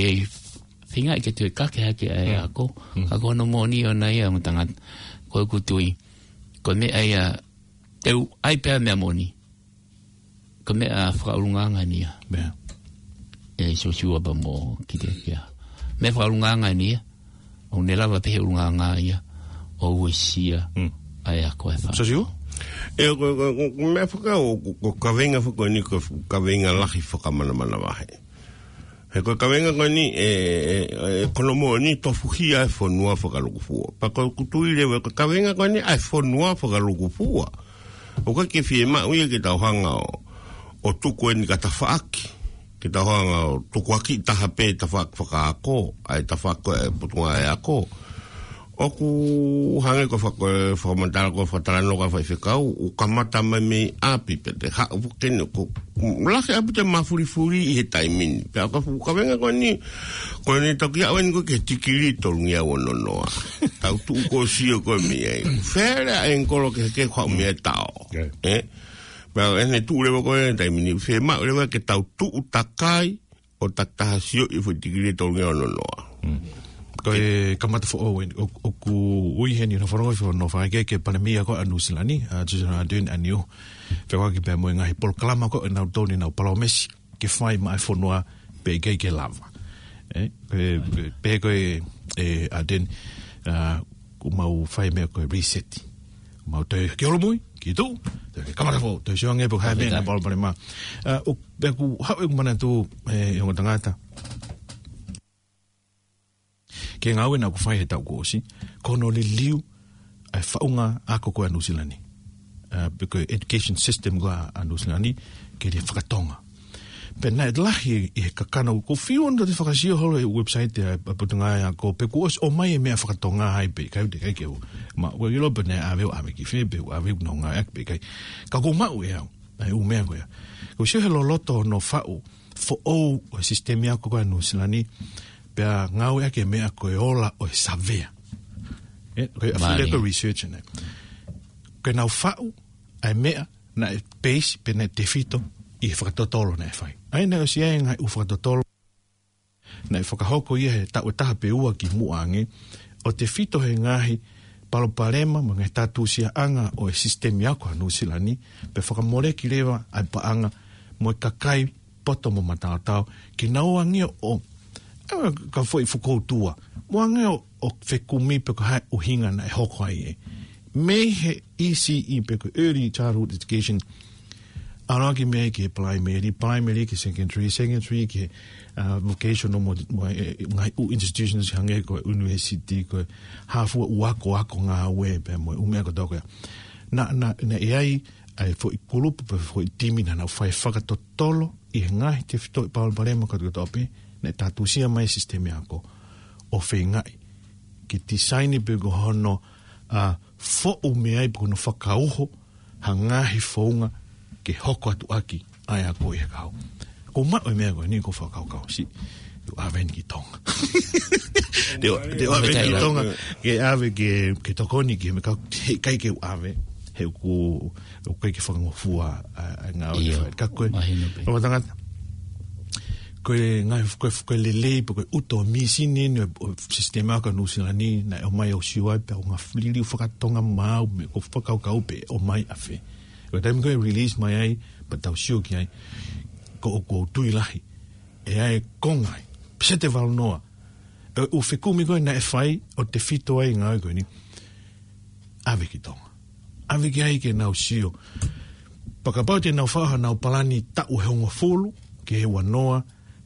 feinga ke toe kake hake ʻa e, mm, ako. Mm. Ka ko hono moʻoni ʻoʻona ia mo tangata. Ko ʻeku tui. Ko e meʻa ia, te u ʻai pē ʻa e meʻa moʻoni. Ko e meʻa fakaʻulungaanga eni ia. Meʻa. ʻE Siosiua pea mo ki te kia. Meʻa fakaʻulungaanga eni ia. ʻOku ne lava pē he ʻulungaanga ia ʻo uesia, mm, ʻa e ako e fā. Siosiua? ʻE, ko, ko, ko, ko e meʻa faka-, ko, ko e kaveinga faka-, eni ko e kaveinga lahi fakamanamanavahe. He ko e kaveinga ko eni, ʻe, ʻe, ʻe, ko hono moʻoni tofuhia e fonua fakalukufua. Pea ko ʻeku tui leva ko e kaveinga ko eni ʻa e fonua fakalukufua. ʻOku ʻikai ke fiemaʻu ia ke tau hanga ʻo, ʻo tuku eni ka tafaʻaki. Ke tau hanga ʻo tukuakiʻi taha pē tafaʻaki fakaako, ʻa e tafaʻaki ʻa e Potungāue Ako. ʻOku hangē ko e faka-, ko e fakamatala, ko e fakatalanoa ʻa e faifekau, ʻoku kamata mai mei ʻapi pē te haʻu pē ke ne ko, lahi ʻaupito e mafulifuli ʻi he taimi ni. Pea ko e fuʻu kaveinga ko eni, ko eni toki aʻu eni ko e ki he tikilī tolungeau ono noa. Tau tuʻu ko e sio ko e meʻa ia. Fēlea e ngolo ke, ke kau meʻa tao. Yeah. ʻE? Pea ʻene tuʻu leva ko e taimi ni, fiemaʻu leva ke tau tuʻu takai, ʻo takitaha sio ʻi he foʻi tikilī tolungeau ono noa. Mm. Ko e kamata foʻou eni, ʻo, ʻoku ui heni hono fanongo, fanongo fakaʻeke ki he Palēmia ko ē ʻa Nuʻu Sila ni, ʻa Jacinda Ardern ʻanenai. Fekauʻaki pea mo e ngaahi polokalama ko ē naʻa nau tō ni nau palōmesi ke fai maʻa e fonua pea ʻikai ke lava. ʻE, pehē, pehē ko ē, ʻe Ardern, ʻa, kuo mau fai meʻa ko e reset. Mau toe ki holomui, ki tuʻa, toe kamata foʻou, toe sio ange pe ko e hā e meʻa naʻe palopalema. ʻA, ʻo, pea ʻoku haʻu ʻeku manatu, ʻe, ʻe ongo tangata. Ki he ngāue naʻa ku fai he taʻu kuo ʻosi, ko hono liliu ʻa e faʻunga ako ko ē ʻa Nuʻu Sila ni. ʻA, pe ko e education system ko ē ʻa Nuʻu Sila ni, ke ne fakatonga. Pea naʻe lahi ʻi he kakano, ʻoku ou fiu ʻoku ou toe fakasio holo he website ʻa e Potungāue Ako, pe kuo ʻosi ʻomai e meʻa fakatonga ai pe ʻikai, ʻikai ke u. Ma, ʻoku ʻikai ke u ʻilo pe naʻe ʻave ʻo ʻave ki fē, pe ʻave ʻo nau ngāueʻaki pe ʻikai. Ka ʻoku ou maʻu ʻe au ʻa e ʻū meʻa ko ia. ʻOku ou sio he loloto hono faʻu foʻou ʻo e sisitemi ako ko ē ʻa Nuʻu Sila ni, pea ngāueʻaki e meʻa ko e ola ʻo e savea. ʻE, ko e ʻafio ko e research ʻeni. Ko ʻenau faʻu ʻa e meʻa naʻe peisi pe naʻe tefito ʻi he fakatotolo naʻe fai. ʻA ia naʻe ʻosi ʻi ai e ngaahi ʻū fakatotolo naʻe fakahoko ia he taʻu ʻe taha pe ua kimuʻa ange, ʻo tefito he ngaahi palopalema mo e ngaahi tātūsiaʻanga ʻo e sisitemi ako ʻa Nuʻusila ni, pea fakamoleki leva ʻa e paʻanga mo e kakai poto mo mataotao, ke nau ō ange ʻo, ʻa, ka foʻi fokoutua, mo ō ange ʻo, ʻo fekumi pe ko e hā e ʻuhinga naʻe hoko ai ē. Mei he E C E pe ko e Early Childhood Education, ʻalu ʻaki mei ai ki he primary, primary ki he secondary, secondary ki he, uh, vocational mo, mo, eh, ngaahi ʻū institutions hangē ko e university, ko e hā fua ʻū ako, ako ngāue pea mo e ʻū meʻa kotoa ko ia. Naʻa, naʻa, naʻe ʻi ai ʻa e foʻi kulupu pe foʻi timi naʻa nau fai fakatotolo ʻi he ngaahi tefitoʻi palopalema kotoa pē naʻe tātūsia mai e sisitemi ako, ʻo feingaʻi ke tisaini pe ko hono, ʻa, foʻu mei ai pe ko hono fakauho ha ngaahi founga ke hoko atu ʻaki ʻa e ako ʻi he kahaʻu. Ko e maʻu e meʻa ko eni ko e fakakaukau siʻi, te u ʻave eni ki Tonga. Te u, te u ʻave eni ki Tonga, ke ʻave ke, ke tokoni ki he meʻa ka, he ʻikai ke u ʻave, he ʻoku, ʻoku ʻikai ke fakangofua ʻa, ʻa e ngāue ʻIo, fai. Ka ko e, mahino pē. Ko e tangata, ko e ngaahi, ko e, ko e lelei, pe ko e ʻuto mīsini eni ʻo e sisitemi ako ʻa Nuʻusila ni, naʻe ʻomai ʻo sio ai, pea ʻoku ngaahi liliu fakatonga maau, mo e ko e fakakaukau pe ʻomai ʻafē. Ko e taimi ko ē release mai ai, pea tau sio ki ai, ko ʻoku ou tui lahi ʻe ʻi ai e konga ʻi he peseti ʻe valu noa ʻo e ʻū fekumi ko ē naʻe fai ʻo tefito ai e ngāue ko eni, ʻave ki Tonga. ʻAve ki ai ke nau sio. Pea kapau te nau fai hanau palani taʻu ʻe hongofulu ki he ua noa,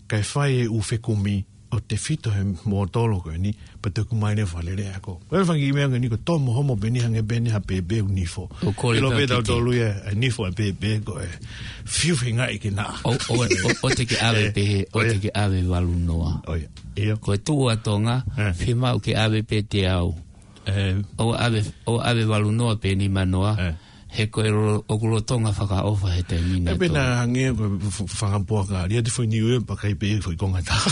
kae fai e ʻū fekumi ʻo tefito he mōtolo ko eni, pea toki ʻomai leva e lele ako. Ko e fanga kiʻi meʻa ko eni ko e tō mo homo pē eni hangē pē eni ha pēpē ʻoku nifo. ʻO kole ʻIlo pē pē ʻa tautolu ia, ʻa e nifo ʻa e pēpē ko e fiu feingaʻi ke naʻa. ʻO, ʻo, ʻo, ʻoua te ke ʻave ʻE, pē he, ʻoua ʻoia. te ke ʻave valu noa. ʻOia. ʻIo. Ko e tuʻu ʻa Tonga, ʻE. fiemaʻu ke ʻave pē teau. ʻE. ʻO ʻave, ʻo ʻave valu noa pe nima noa. ʻE. He ko e lo-, ʻoku lolotonga fakaʻofa he taimi ni ʻE pē ʻa Tonga. Naʻa hangē ko e f-, f-, fanga puaka, lia te foʻi niu e pakai pē foʻi konga taha.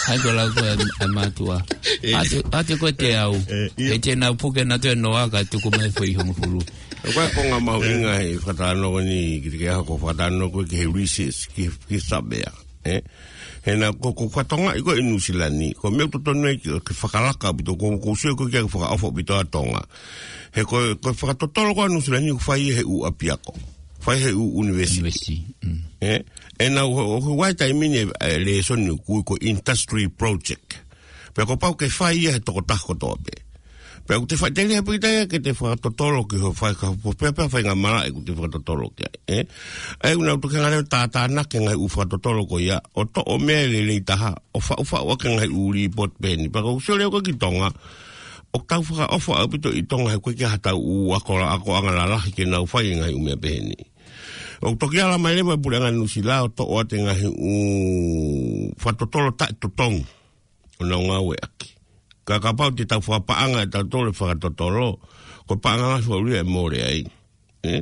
ʻA ia ko e lau ko ē ʻa e mātuʻa. ʻE. ʻAte, ʻate ko e teau. ʻE, ʻio. He te nau puke nautolu e noa kae tuku mai foʻi hongofulu. Ko e konga mahuʻinga ʻe. he fakatalanoa ni, ki te ke ʻaho ko e fakatalanoa ko ē ki he recess, ki, ki he savea. ʻE? He naʻa ko, ko e fakatonga ʻi ko ē ʻi Nuʻusila ni, ko e meʻa ʻoku totonu ai ke, ke fakalaka ʻaupito, ko, ko e sio ko ē ke fakaʻofa ʻaupito ʻa Tonga. He ko, ko e fakatotolo ko ē ʻa Nuʻusila ni, ʻoku fai he ʻū ʻapiako. Fai he ʻū university. University, mm. ʻE? ʻE naʻa ʻo, ʻo, ʻo, ʻi he taimi ni, ʻe, lēsoni ʻoku ui ko e industry project. Pea kuo pau ke fai ia he tokotaha kotoa pē. Pea ʻoku te faʻiteliha pē kita ia ke te fakatotolo ki hoʻo fai ka pu pea pea fai ngā malaʻe ʻoku te fakatotolo ki ai, ʻe? ʻA ia ʻoku nau toki hanga leva ʻo tātānaki e ngaahi ʻū fakatotolo ko ia, ʻo toʻo meʻa lelei taha, ʻo faʻufaʻu ʻaki e ngaahi ʻū līpooti pehē ni. Pea ʻoku ou sio leva ko ē ki Tonga, ʻoku tau fakaʻofa ʻaupito ʻi Tonga he ʻoku ʻikai ke ʻi ai haʻatau ʻū ako la-, akoʻanga lalahi ke nau fai e ngaahi ʻū meʻa pehē ni. ʻOku toki ala mai leva e puleʻanga Nuʻusila ʻo toʻo atu e ngaahi ʻū fakatotolo taʻetotongi ʻo nau ngāueʻaki. Ka kapau te tau fakapaʻanga ʻe tautolu e fakatotolo, ko e paʻanga lahi faʻu ia ʻe mole ai. ʻE?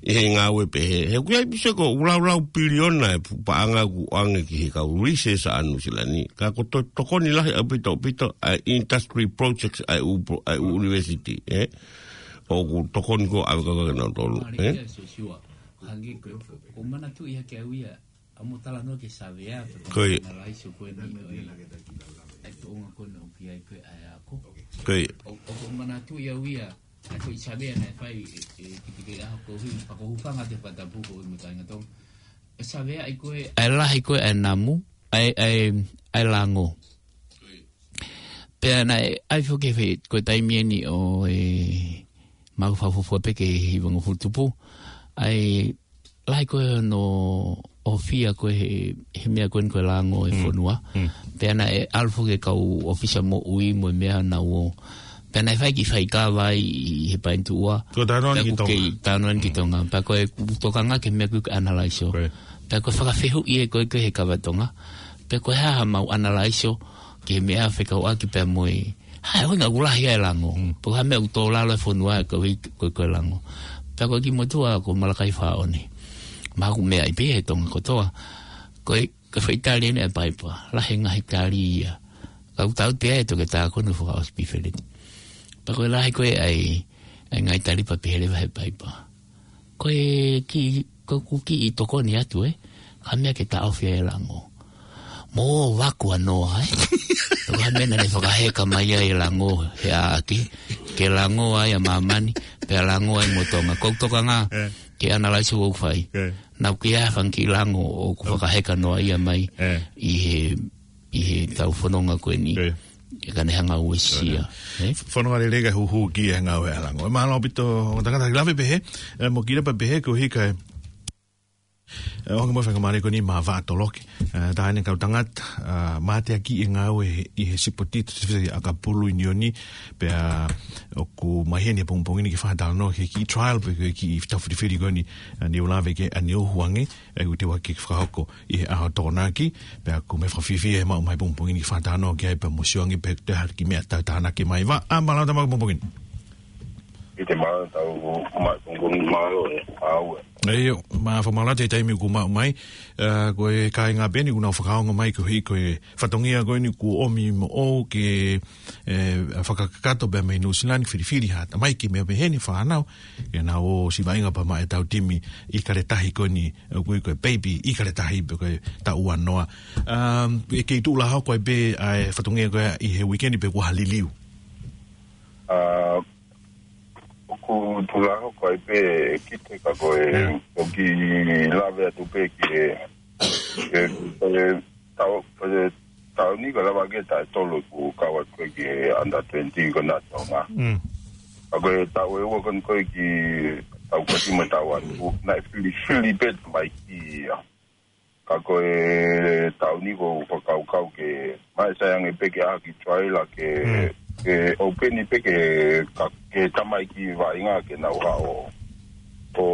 ʻI he ngāue pehē. He ʻoku ʻi ai pē se ko e laulau piliona e pu-, paʻanga ʻoku ʻoange ki he kau recess ʻa Nuʻusila ni. Ka ko e to-, tokoni lahi ʻaupito, ʻaupito ʻa e industry projects ʻa e ʻū pro-, ʻa e ʻū university, ʻe? ʻOku tokoni ko ē ʻave kau ke nau tolu, ʻe? Hangē ko, ko e manatuʻi hake au ia, ʻa mo talanoa ki he savea, pe ko Ko ia. Analyze ko eni, ʻo e, ʻa e tuʻunga ko ena ʻoku ʻi ai ko ē ʻa e ako. Ko ia. ʻO, ʻoku ou manatuʻi au ia, ʻa e foʻi savea naʻe fai, ʻe, ʻe, ki te ke ʻaho ko ē, pea ʻoku ou hūfanga atu he fakatapu ko ē mo e kāinga Tonga. ʻE savea ʻi ko ē, ʻa e lahi ko ē ʻa e namu, ʻa e, ʻa e, ʻa e lango. Pea naʻe ʻai foki he, ko e taimi eni ʻo e maʻu fakafuofua pē ki he hivangofulu tupu. ʻA e lahi ko ē hono ʻofia ko ē he, he meʻa ko eni ko e lango e Mm. fonua. Mm. Pea naʻe ʻalu foki e kau ʻōfisa moʻui mo e meʻa naʻa nau ō. Pea naʻe fai e kiʻi faikava ʻi he paenituʻa. Ko e talanoa ni Pea ki ʻoku Tonga. kei talanoa ni ki Mm. Tonga. Pea ko e tokanga ki he meʻa ko ē ko e analaiso. Ko ia. Pea ko e fakafehuʻi ē ko ē ko ē he kava Tonga. Pea ko e hā haʻamau analaiso ki he meʻa fekauʻaki pea mo e hā e ʻuhinga ʻoku lahi ai e lango. Mm. Pe ko e hā e meʻa ʻoku tō lalo e fonua ʻa e kaveinga ko ē ko e lango. Pea ko e kiʻi motuʻa ko Malakai Faʻoni. Mahalo ʻoku meaʻi pē ia he Tonga kotoa. Ko e, ko e foʻi tali eni ʻa e paipa. Lahi e ngaahi tali ia. Ka ʻoku tau te ai toketā ko eni fakaʻosi pē feleti. Pea ko e lahi ko ē ʻa e, ʻa e ngaahi tali pea pehē leva he paipa. Ko e kiʻi, ʻoku kiʻi tokoni atu, ē. Ka meʻa ke taʻofi e lango. Mo vaku a noa, ē. Ko e meʻa naʻe fakaheka mai ai e lango he ʻaʻake. Ke lango ai ʻa māmani, pea lango ai mo Tonga. Ko e tokanga, ē, ke analyze ʻoku fai. Ē. Naʻa ʻoku ʻi ai e fanga kiʻi lango ʻoku fakaheka noaʻia mai, ē, ʻi he, ʻi he tau fononga ko eni. Ē. ʻE ka ne hanga uesia. Ē? Fononga lelei ka huhu ki he ngāue ʻa e lango. Mālō ʻaupito, tangata ki lave pehē, ē, mo kile pē pehē ko hika e, ē, ʻoange mo e faingamālie ko eni maʻa Vaʻa Toloki. Ē, tā ʻene kau tangata, ē, mateaki e ngāue ʻi he sipoti, te fisi ʻakapulu ʻi ʻIunioni, pea ʻoku mai heni he pongipongi ni ke fakatalanoa ki he kiʻi trial, pe ko e kiʻi tau filifili ko eni, ē, ne u lave ki ai ʻaneuhu ange, ē, ʻoku teu ʻaki ke fakahoko ʻi he ʻaho Tokonaki, pea ʻoku ou fakafiefia he maʻu mai pongipongi ni ke fakatalanoa ki ai pea mo sio ange pe ʻoku toe ʻi ai ha kiʻi meʻa tau tānaki mai. Vaʻa, mālō e tau maʻu pongipongi ni. ʻIo, mālō e tau maʻu pongipongi, mālō e ʻaho. ʻIo, mālō e fakamālō atu he taimi ʻoku maʻu mai, ē, ko e kāinga pē eni ʻoku nau fakaongo mai koeʻuhi ko e fatongia ko eni kuo ʻomi moʻou ke, ē, fakakakato pē mei New Zealand, filifili ha tamaiki mei pehē ni fānau, ke nau ō ʻo siʻi vaʻinga pea maʻa e tau timi ʻIkale Tahi ko eni, ʻoku ui ko e Baby ʻIkale Tahi pe ko e taʻu ua noa. Um, ʻe kei tuʻu lāhoko ai pē ʻa e fatongia ko ia ʻi he weekend pe kuo ʻi ai ha liliu? Ā, ʻoku tuʻu lāhoko ai pē, ʻe kite ka ko e, mm, ʻoku ou lave atu pē ki he, ki he, ki he tau, ki he taʻu ni ko e lava ke taʻu ʻe tolu ʻeku kau atu ki he under twenty ko ena ʻa Tonga. Mm. Ka ko e taʻu ʻe ua ko eni ko e kiʻi tau kati mo e taʻu atu, naʻe filifili pē tamaiki ia. Ka ko e taʻu ni ʻoku ou fakakaukau ke, maʻu sai ange pē ke ʻai ha kiʻi trial ke, mm, ke open pē ke, ka, ke tamaiki vaʻinga ke nau haʻu ʻo, ʻo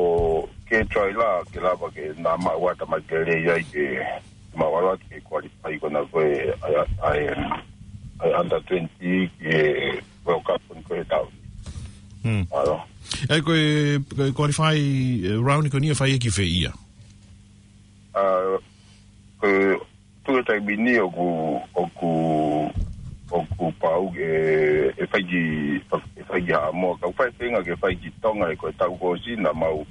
ke trial ke lava ke nau maʻu ʻa e tamaiki lelei ai ke maʻu ʻalu atu ke qualify ko ena ko e, ʻa e, ʻa e, ʻa e under twenty ki he World Cup ko eni ko e taʻu. Mm. Mālō. ʻE, ko e, ko e qualify, ē, round ko eni ʻe fai ʻaki fē ia? Ā, ko e tuʻu he taimi ni ʻoku, ʻoku, ʻoku pau ke, ʻe fai ki, ʻe fai ki Haʻamoa. Ka ʻoku fai feinga ke fai ki Tonga he ko e taʻu kuo ʻosi naʻa mau,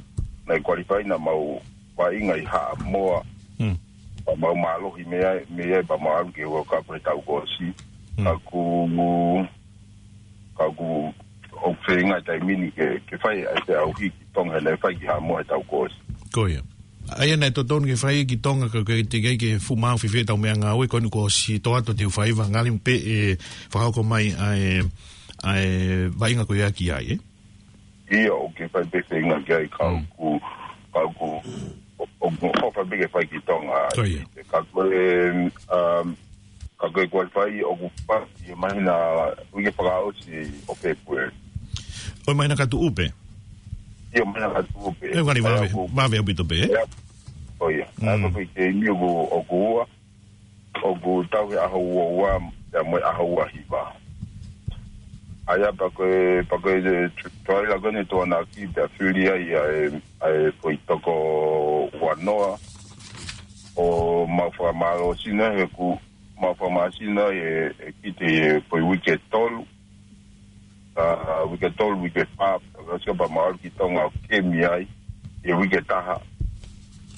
naʻe qualify naʻa mau vaʻinga ʻi Haʻamoa. Mm. Pea mau mālohi mei ai, mei ai pea mau ʻalu ki he World Cup he taʻu kuo ʻosi. Mm. Ka ʻoku, ka ʻoku, ʻoku feinga he taimi ni ke, ke fai ai e feʻauhi ki Tonga he naʻe fai ki Haʻamoa he taʻu kuo ʻosi. Ko ia. ʻA ia naʻe totonu ke fai ki Tonga ka ʻoku teʻeki ai ke fuʻu maau fēfē ʻetau meʻangāue ko eni kuo ʻosi toʻa atu ʻetau faiva ngali pē ʻe fakahoko mai ʻa e, ʻa e vaʻinga ko ia ki ai, ē? ʻIo, ʻoku ke fai pē feinga ki ai ka, mm, ʻoku, ka ʻoku, ʻo, ʻo, ʻo fai pē ke fai ki Tonga. Ko ia. Ka ko e, um, ka ko e qualify ʻoku fai he māhina, uike fakaʻosi ʻo February. ʻO e māhina ka tuʻu pē? ʻIo, māhina ka tuʻu pē. ʻE, ʻoku ngali vave, ʻoku vave ʻaupito pē, ē? ʻIo. ʻO ia. Mm. ʻA ia ko e taimi ʻoku, ʻoku ua, ʻoku tau he ʻaho ua ua, pea mo e ʻaho ua hiva. ʻA ia pea ko e, pea ko e, ē, tr-, trial ko eni ʻe Tokonaki pea fili ai ʻa e, ʻa e foʻi toko ua noa. ʻO mau fakamālō sino he ʻoku mau fakamālō sino he, he kite he foʻi uike ʻe tolu. Ā, uike ʻe tolu, uike ʻe fā, ka sio pea mau ʻalu ki Tonga ʻo kemi ai, he uike ʻe taha.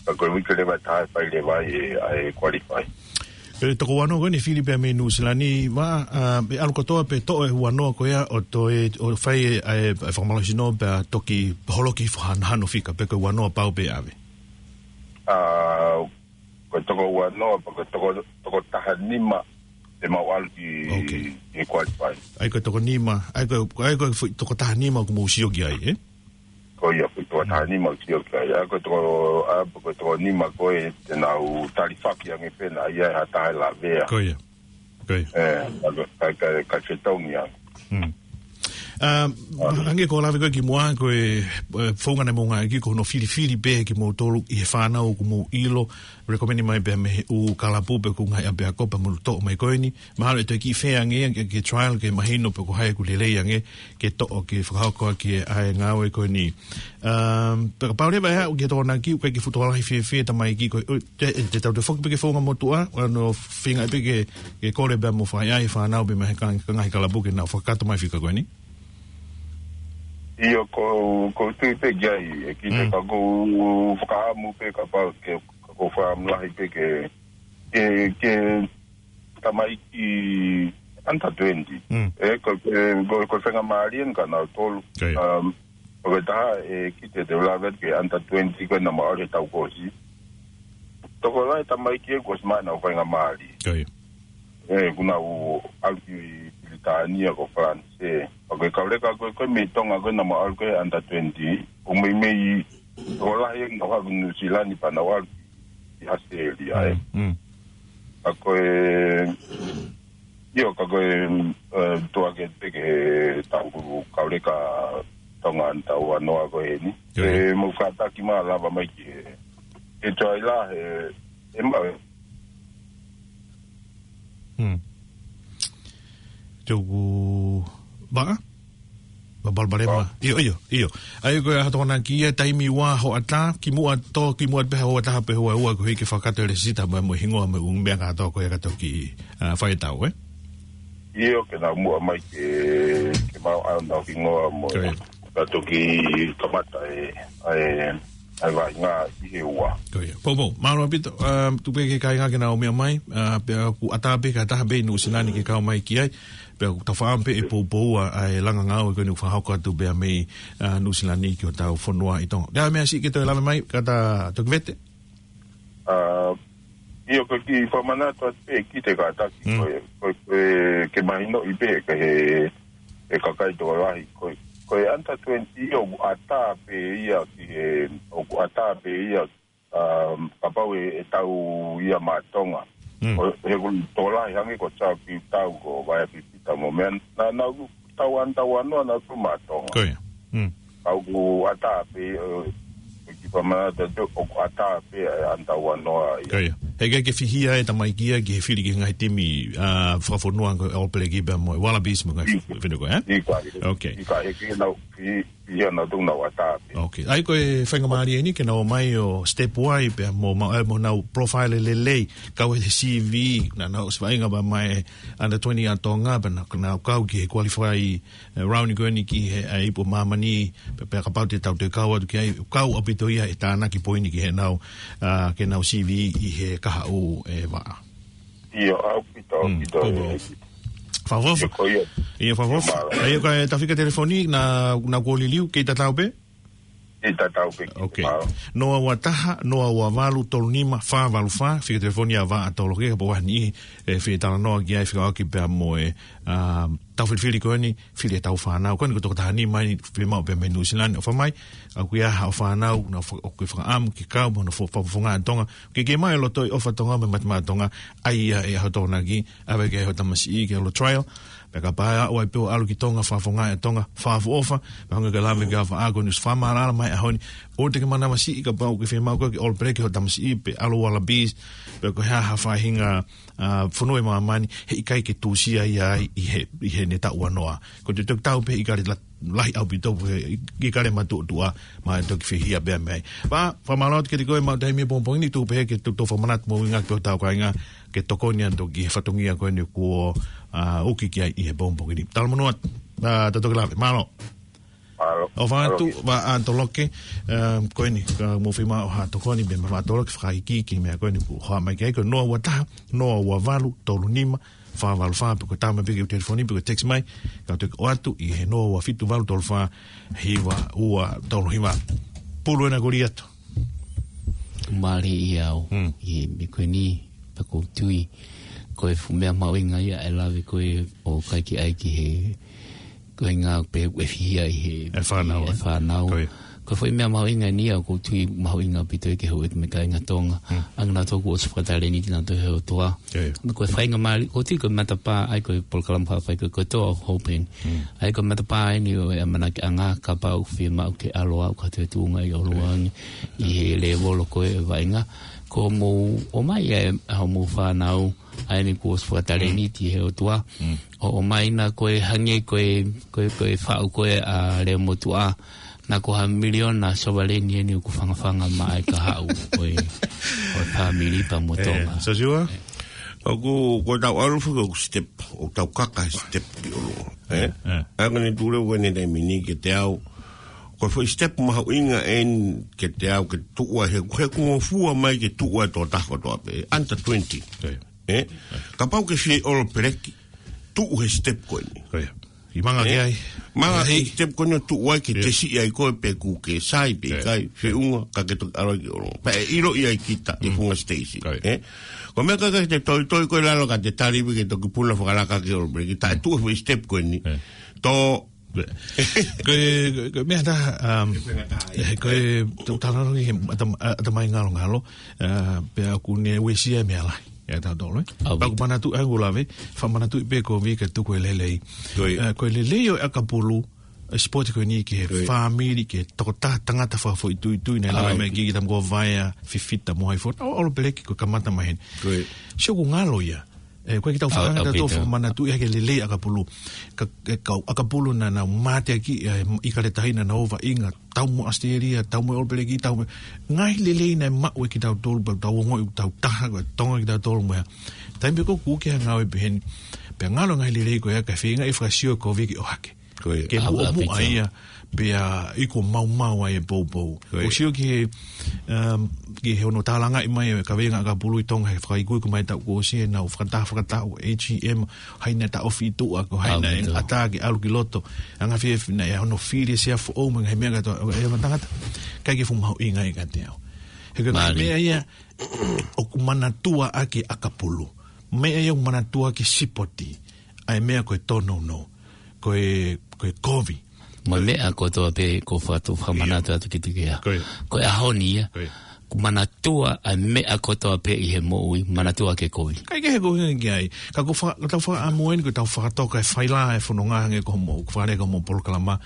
Ka ko e uike leva ʻe taha ʻe fai leva ai e, ʻa e qualify. ʻE, toko ua noa ko eni fili pē mei Nuʻu Sila ni, Vaʻa, ā, ʻe ʻalu kotoa pē toʻo e ua noa ko ia ʻo toe, ʻo fai e, ʻa e, ʻa e fakamālohisino pea toki holoki fakahanahano fika pe ko e ua noa pau pē ʻave? Ā, ko e toko ua noa, pea ko e toko, toko taha nima ʻe mau ʻalu ki, ok, ki he qualify. ʻA ia ko e toko nima, ʻa ia ko e, ʻa ia ko e foʻi toko taha nima ʻoku mou sio ki ai, ē? Ko ia, foʻi toko taha nima ʻoku sio ki ai. ʻA ia ko e toko, ʻa ia ko e toko nima ko ē te nau talifaki ange pē naʻa ʻi ai ha taha ʻe lavea. Ko ia. Ko ia. Ē, ka, ka, ka, ka fetongi ange. Mm. Um, ʻa ia. Hangē ko e lave ko ē kimuʻa, ko e, ē, founga naʻe mou ngāueʻaki ko hono filifili pē kimoutolu ʻi he fānau ʻoku mou ʻilo, recommend mai pē mei he ʻū kalapu pe ko e ngaahi ʻapiako pea mou toʻo mai ko eni. Mahalo ʻe toe kiʻi fē ange ia ke, ke trial ke mahino pe ko hai ʻoku lelei ange ke toʻo ke fakahoko ʻaki ʻa e ngāue ko eni. Um, pea kapau leva ʻe haʻu ki he Tokonaki, ʻoku ʻikai ke fuʻu tokolahi fēfē e tamaiki ko ē, ʻo, te, te tau toe foki pē ki he founga motuʻa, ʻo nau feinga pē ke, ke kole pea mo fai ai e fānau pea mei he ka-, ka ngaahi kalapu ke nau fakakakato mai fika ko eni. ʻIo, ko, ko u tui pē ki ai, ʻEkite, Mm. ka ko u fakaʻamu pē kapau ke, ka ko u fakaʻamu lahi pē ke, ke, ke tamaiki under twenty. Mm. ʻE, ko, ko, ko, ko e faingamālie eni kia nautolu. Ko ia. Um, ʻoku ʻi ai e taha, ʻEkite, te u lave atu ki he under twenty ko ē naʻa mau ʻalu he taʻu kuo ʻosi. Tokolahi e tamaiki ē kuo ʻosi maʻu ʻenau faingamālie. Ko ia. ʻE, kuo nau ʻalu ki Pilitānia ko Falanisē. Ka ko e kau leka ko ē, ko ē mei Tonga ko ē naʻa mau ʻalu ko ē under twenty. ʻOku meimei tokolahi ē naʻa nau haʻu ki Nuʻusila ni pea nau ʻalu ki ʻAositelēlia, ē. Mm, mm. Ka ko e, ʻio, ka ko e, ē, tuʻa ke te ke tau kau leka Tonga under twenty ko eni. Ko ia. ʻE, mou kātaki mai lava mai ki he, he tuai la, he, he mau. Hmm. Tuku, ba? Ba, ba, ba, ba. ʻIo, ʻio, ʻio. ʻA ia ko e ʻaho Tokonaki ia, taimi ua hoʻatā, kimuʻa tō, kimuʻa pē hoʻatā pē hoʻaua ko e hiki fakakātoa e lēsisita mo e hingoa mo e ʻū meʻa kātoa ko ia ka toki, ā, fai e tau, ē? ʻIo, ke nau muʻa mai ke, ke mau ʻai honau hingoa mo, Ko ia. ka toki kamata e, ʻa e, ʻa e vaʻinga ʻi he ua. Ko ia. Poupou, mālō ʻaupito, ā, tuku pē ki he kāinga ke nau meʻa mai, ā, pea ʻoku ʻatā pē ki ha taha pē ʻi Nuʻusila ni ke kau mai ki ai, pea ʻoku tau fakaʻamu pē ʻe Poupou ʻa e langa ngāue ko eni ʻoku fakahoko atu pea mei, ā, Nuʻusila ni ki hotau fonua ʻi Tonga. Pea meʻa siʻi ke toe lave mai, ka ta toki vete. Ā, ʻio, ko e kiʻi fakamanatu atu pē ʻEkite kātaki, Mm. ko e, ko e, ko e ke mahinoʻi pē ki he, he kakai tokolahi. Ko e, ko e under twenty ʻoku ʻatā pē ia ki he, ʻoku ʻatā pē ia, um, kapau ʻe, ʻe tau ia maʻa Tonga. Mm. Ko e, he ʻoku tokolahi hangē ko Charles Piutau ko Vaea Pipita mo meʻa, naʻa, naʻa nau tau under twenty naʻa nau tau maʻa Tonga. Ko ia. Mm. Ka ʻoku ʻatā pē, ē, ʻoku kiʻi fakamanatu atu, ʻoku ʻatā pē ʻa e under twenty ia. Ko ia. He ʻikai ke fihia e tamaiki ia ki he fili ki he ngaahi timi, ā, fakafonua ko e All Black pea mo e Wallabies mo e ngaahi ʻIkai. fili ko ē, ē? ʻIkai. Okay. ʻIkai, he ke nau, fi-, fihia nautolu naʻa nau ʻatā pē. Okay. ʻA ia ko e faingamālie eni ke nau ō mai ʻo step wai pea mo, ma-, ē, mo nau profile lelei, kau he C V, naʻa nau ʻosi vaʻinga pea mai under twenty ʻa Tonga, pea na, nau kau ki he qualify, ē, round ko eni ki he, ē, ipu māmani, pea, pea kapau te tau toe kau atu ki ai, kau ʻaupito ia ʻe tānaki poini ki heʻenau, ā, ki heʻenau C V ʻi he kahaʻu ʻe vaʻa. ʻIo, ʻaupito, Mm, ʻaupito, poupou. ʻE. Fakaʻofoʻofa. ʻIo, ko ia. ʻIo, fakaʻofoʻofa. ʻIo, mālō. ʻA ia ko e tau fika telefoni, naʻa, naʻa kuo liliu, kei tatau pē? Kei tatau pē, kei Okay. tatau. Noa ua taha, noa ua valu, tolu nima, fā valu fā, fika telefoni ʻa Vaʻa Toloke, kapau ʻoku ʻi ai ha niʻihi, ē, fie talanoa ki ai, fekauʻaki pea mo e, ā, tau filifili ko eni, fili ʻetau fānau. Ko eni ko e toko taha nima eni, fiemaʻu pē mei Nuʻusila ni ʻofa mai, ʻoku ʻi ai haʻo fānau, naʻa fa-, ʻoku ke fakaʻamu ke kau, mo nau fo-, fakafofonga ʻa Tonga, ke ke maʻu e loto ʻi he ʻofa ʻa Tonga mo e matemaʻa ʻa Tonga, ʻa ia ʻe ʻaho Tokonaki, ʻave ki ai hoʻo tamasiʻi ki he ʻalu trial, pea kapau ʻe ʻalu ai pē ʻo ʻalu ki Tonga, fakafofonga ʻa Tonga, fakaʻofoʻofa, pea hangē ko e lave ki ai ʻa Vaʻa ko eni ʻosi fakamaʻalaʻala mai ʻaho ni, ʻoua te ke manavasiʻi kapau ʻoku ke fiemaʻu koe ke All Black ki hoʻo tamasiʻi, pe ʻalu Wallabies, pe ko e hā ha faʻahinga, ā, fonua ʻi māmani, heʻikai ke tuʻusia ia ai ʻi he, ʻi heʻene taʻu ua noa. Ko e toki tau pē ʻi kale la-, lahi ʻaupito, ʻi kale matuʻotuʻa, mo e toki fihia pē mei ai. Pea, fakamālō atu kiate koe maʻu taimi he pongipongi ni, tuku pē ke tau toe fakamanatu mo e ngaahi pē hotau kāinga, ke tokoni atu ki he fatongia ko eni kuo, ā, uki ki ai ʻi he pongipongi ni. Talamonū atu, ā, tau toki lave, mālō. Mālō. ʻOfa atu, Mālō. Vaʻa Toloke, um, ko eni, ka mou fiemaʻu ha tokoni, pea mo Vaʻa Toloke, fakaikiiki, meʻa ko eni kuo haʻu mai ki ai, ko e noa ua taha, noa ua valu, tolu nima, fā valu fā, pe ko e tau mai pē ki he telefoni, pe ko e text mai, ka te ʻoatu ʻi he noa ua fitu valu tolu fā, hiva ua tolu hiva. Pulu ena ko Liato. Mālie ʻia au, Mm. ʻi he meʻa ko eni, pea ʻoku ou tui, ko e fuʻu meʻa mahuʻinga ia ʻe lave ko ē ʻo ʻikai ke ʻai ki he, ko e ngaahi pē ʻe fihia ʻi he, ʻE fānau, ʻi he ē? fānau. Ko ia. Ko e foʻi meʻa mahuʻinga eni ia ʻoku ou tui mahuʻinga ʻaupito ia ke hoko atu mei he kāinga Tonga. Mm. ʻA ia naʻa tau ʻosi fakatalēniti nautolu ʻe he ʻOtua. Ko ia. Ko e faingamālie, ʻoku ou tui ko e matapā, ʻa ia ko e polokalama faifai ko e, ko e Door of Hope eni. Mm. ʻA ia ko e matapā eni ʻo e ʻamanaki ʻanga, kapau ʻoku fiemaʻu ke ʻalu ʻo aʻu ki ha toe tuʻunga ʻi ʻolunga ange, ʻi he lēvolo ko ē ʻo e vaʻinga. Ko hoʻomou ʻomai ʻa e, ʻa hoʻomou fānau, ʻa eni kuo ʻosi fakatalēniti ʻe he ʻOtua. Mm. ʻO, ʻomai na ko e hangē ko e, ko e, ko e faʻu ko ē ʻa Leomotuʻa. Naʻa ko ha miliona sovaleni eni ʻoku fangafanga maʻa e kahaʻu ʻo e, ʻo e fāmili pea mo Tonga. Ē, Sosiua? ʻOku, ko ʻetau ʻalu foki ʻoku step, ʻoku tau kaka step ʻi ʻolunga. Ē? Ē. ʻA ia ko eni tule ko eni taimi ni kiate au, Ko e foʻi step mahuʻinga eni ke te aʻu ke tuʻu ai he, he kuo ngofua mai ke tuʻu ai toko taha kotoa pē, under twenty. Ko ia. Ē? Kapau ke fie All Black, tuʻu he step ko eni. Ko ia. ʻI manga Ē? ke ai. Manga Ai. ke step ko eni ʻo tuʻu ai ke Ia. te siʻi ai koe pe ʻoku ke sai pe Ia. ʻikai, feʻunga, ka ke toki ʻalu ki ʻolunga. Pea ʻe ʻilo ia ʻe kita, ʻi Mm. funga station. Ko ia. Ē? Ko e meʻa ka ke te toitoi koe lalo ka te tali pē ke toki puna fakalaka ki All Black, taʻe tuʻu he foʻi step ko eni. Ia. Tō Ko e, ko e, ko e meʻa tā, um, Ko e meʻa tā, eh, ko e, tau talanoa ki he ʻatam-, ʻatamai ngalongalo, uh, pea ʻoku ne uesia e meʻa lahi, ʻe tautolu, ē? ʻAu. Pea ʻoku manatuʻi, ʻa ʻoku lave, fakamanatuʻi pē ko e vika tuku e lelei. Ko e. Uh, ko e lelei ʻo e ʻakapulu, e sipoti ko eni ki he Ko e. fāmili, ki he tokotaha tangata fakafoʻituitui, naʻe ʻAu. lave mai ki he kiʻi tama ko Vaea, Fifita, Mohaifo, ʻa All Black ko e kamata mai heni. Ko e. Sio ʻoku ngalo ia. Ē, ko e kiʻi tau ʻAu, fakaanga ʻaupito. tautolu fakamanatuʻi hake lelei ʻakapulu. Ka, e kau ʻakapulu naʻa nau mateakiʻi, ē, ʻIkale Tahi naʻa nau ō vaʻinga, tau mo ʻAositelēlia, tau mo All Black, tau mo, ngaahi lelei naʻe maʻu ʻe kitautolu, pea tau ongoʻi, tau taha, ko e Tonga kitautolu mo ia. Taimi pē ko ē ʻoku ke ngāue pehē ni, pea ngalo ngaahi lelei ko ia, ka feinga e fakasio ko e viki ʻohake. Ko ia. Ke ʻAu, muʻomuʻa ʻaupito. ia, pea ʻi ko maumau ai e poupou. Ko ia. ʻOku sio ki he, um, ki he hono tālangaʻi mai e kaveinga ʻakapulu ʻi Tonga he fakaikuiku mai taʻu kuo ʻosi ʻenau fakataha fakataha ʻo A G M, hai naʻe taʻofi ʻi tuʻa, ko hai naʻe ʻaupito. ʻatā ke ʻalu ki loto. Anga fie fina e hono fili e sea foʻou mo e ngaahi meʻa kātoa, ʻe ma tangata. ʻIkai ke fuʻu mahuʻinga ia kiate au. He ko e Mālie. meʻa ia ʻoku manatua ʻaki ʻakapulu. Meʻa ia ʻoku manatua ʻaki sipoti. ʻA e meʻa ko e tōnounou. Ko e, ko e kovi. Mo e meʻa kotoa pē ʻoku ou fakatu-, fakamanatu atu kiate koe. Ko ia. Ko e ʻaho ni ia. Ko ia. ʻOku manatua ʻa e meʻa kotoa pē ʻi he moʻui, manatua ke kovi. ʻIkai ke he kovi ki ai. Ka ʻoku fa-, ka tau fakaʻamu eni, ʻoku tau fakatoka e faila e fononga hangē ko hoʻomou, ʻoku fale ko hoʻomou polokalama.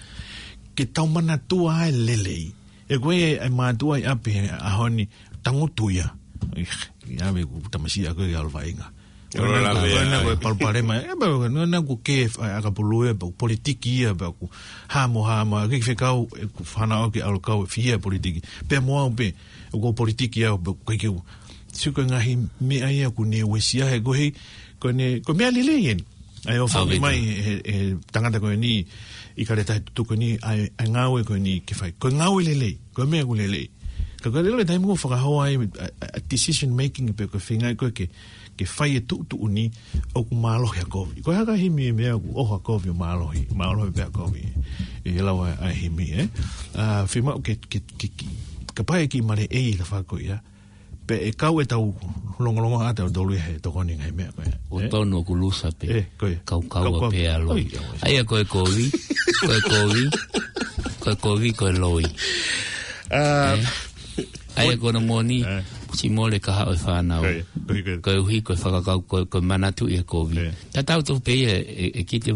Ke tau manatua e lelei. Ē ko e, e mātuʻa ʻi ʻapi he ʻaho ni, tangutu ia. Ih, ia me ku tamasiʻi ʻaku ia ʻalu vaʻinga. Olo Ko ena, lave ko ena, ai. ko e palopalema, ē, pea ko ena, ko e ke, ʻa, ʻakapulu ē, pea ʻoku politiki ia, pea ʻoku hamo, hamo, ke fekau, ē, ʻoku fanau ke ʻalu kau, fie politiki. Pea mo au pē, ʻoku politiki au, pea ʻoku ʻikai ke u. Sio ko e ngaahi meʻa ia ʻoku ne uesia he ko e, ko eni, ko e meʻa lelei eni. ʻA e ʻofa ʻAupito. mai, he, he tangata ko eni, ʻIkale Tahi tutuku ni, ʻa e, ʻa e ngāue ko eni ke fai. Ko e ngāue lelei, ko e meʻa ʻoku lelei. Ka ko e lelei taimi ʻoku fakahoa ai, ʻa, ʻa, ʻa decision making pe ko e feinga ko ē ke, ke fai e tuʻutuʻuni ʻoku mālohi ʻa kovi. Ko e hā e hā e himi e meʻa ʻoku ʻoho ʻa kovi ʻo mālohi, mālohi pē ʻa kovi. ʻI he lau ʻa, ʻa e himi, ē? ʻA, fiemaʻu ke, ke, ke, ke, kapau ʻe kiʻi maleʻei e tafaʻaki ko ia. Pea ʻe kau ʻetau longolongo ʻa tautolu ia he tokoni ngaahi meʻa ko ia. ʻOku Ē? tonu ʻoku lusa pē. Ē, ko ia. Kau, kau Kau, kau. pē ʻa loi. Oi, oi. ʻA ia ko e kovi, ko e kovi, ko e kovi, ko e loi. Ā, Ē? ʻA ia ko hono moʻoni, Ē. siʻi mole ka haʻu e fānau. Ko ia, ko ia, ko ia. Koeʻuhi ko e fakakau, ko, ko e manatuʻi e kovi. Ē. Tatau tofu pē ia, ʻe, ʻe kite,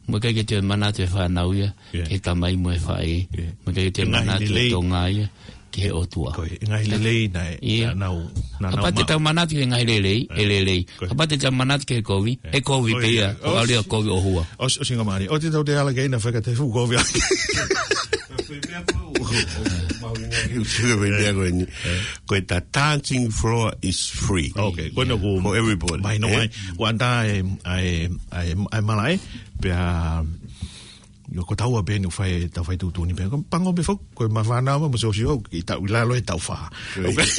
mo e ʻikai ke toe manatu e fānau ia, Ē. ki he tamai mo e faʻē. Ē. Mo e ʻikai ke toe Ngaahi manatu e lelei. Tonga ia. ki he ʻOtua. Ko e ngaahi lelei naʻe, ʻIo. naʻa nau, naʻa nau Kapau te maʻu. tau manatu ki he ngaahi lelei, ʻe lelei. Ko e. Kapau te tau manatu ki he kovi, ʻe kovi Ko pē ia. ia. ʻOku ʻalu ia ʻo kovi ʻo hua. ʻOsi, ʻosi ngā mālie. ʻOua te tau te ala kei na feka te fuʻu kovi. Ko e tā dancing floor is free. Okay, ko ena ko For everybody. Mai no Ē? mai. Ko anta e, e, e, e malaʻe, pea ʻIo, ko taua pē eni ʻoku fai, tau fai tuʻutuʻuni pē. Ko pango pē foki, ko e mafana ma, ma sosio, ʻi tau ʻi lalo e tau fā. Ko e. Okay.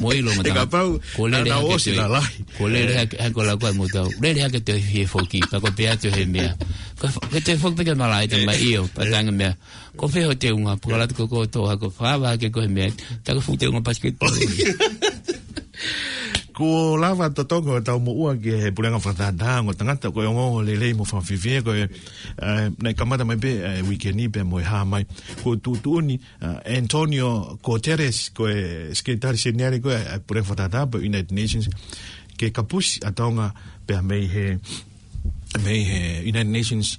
Mo ʻilo ma He tama. kapau, Ko lele naʻa nau hake ʻosi te. lalahi. Ko lele Ē. hake, hake ko la ko mo tau. Lele hake te hie foki, pa ko pea te he meʻa. Ko, ko te foki pē ke malaʻe te Ē. mai ʻio, pa Ē. tanga meʻa. Ko fē ho teunga, pukalatu ko ko to, hako fava hake ko he meʻa. Ta ko fuʻu teunga pasiketi. Kuo lava totongi ʻetau moʻua ki he puleʻanga fakatātā ongo tangata ko e ongoongo lelei mo fakafiefia ko e, ē, naʻe kamata mai pē, ē, uike ni pea mo e hā mai. Ko e tuʻutuʻuni, ē, Antonio Guterres ko e sekelitali seniale ko e, ē, puleʻanga fakatātā pea United Nations ke kapusi ʻa Tonga pea mei he, mei he United Nations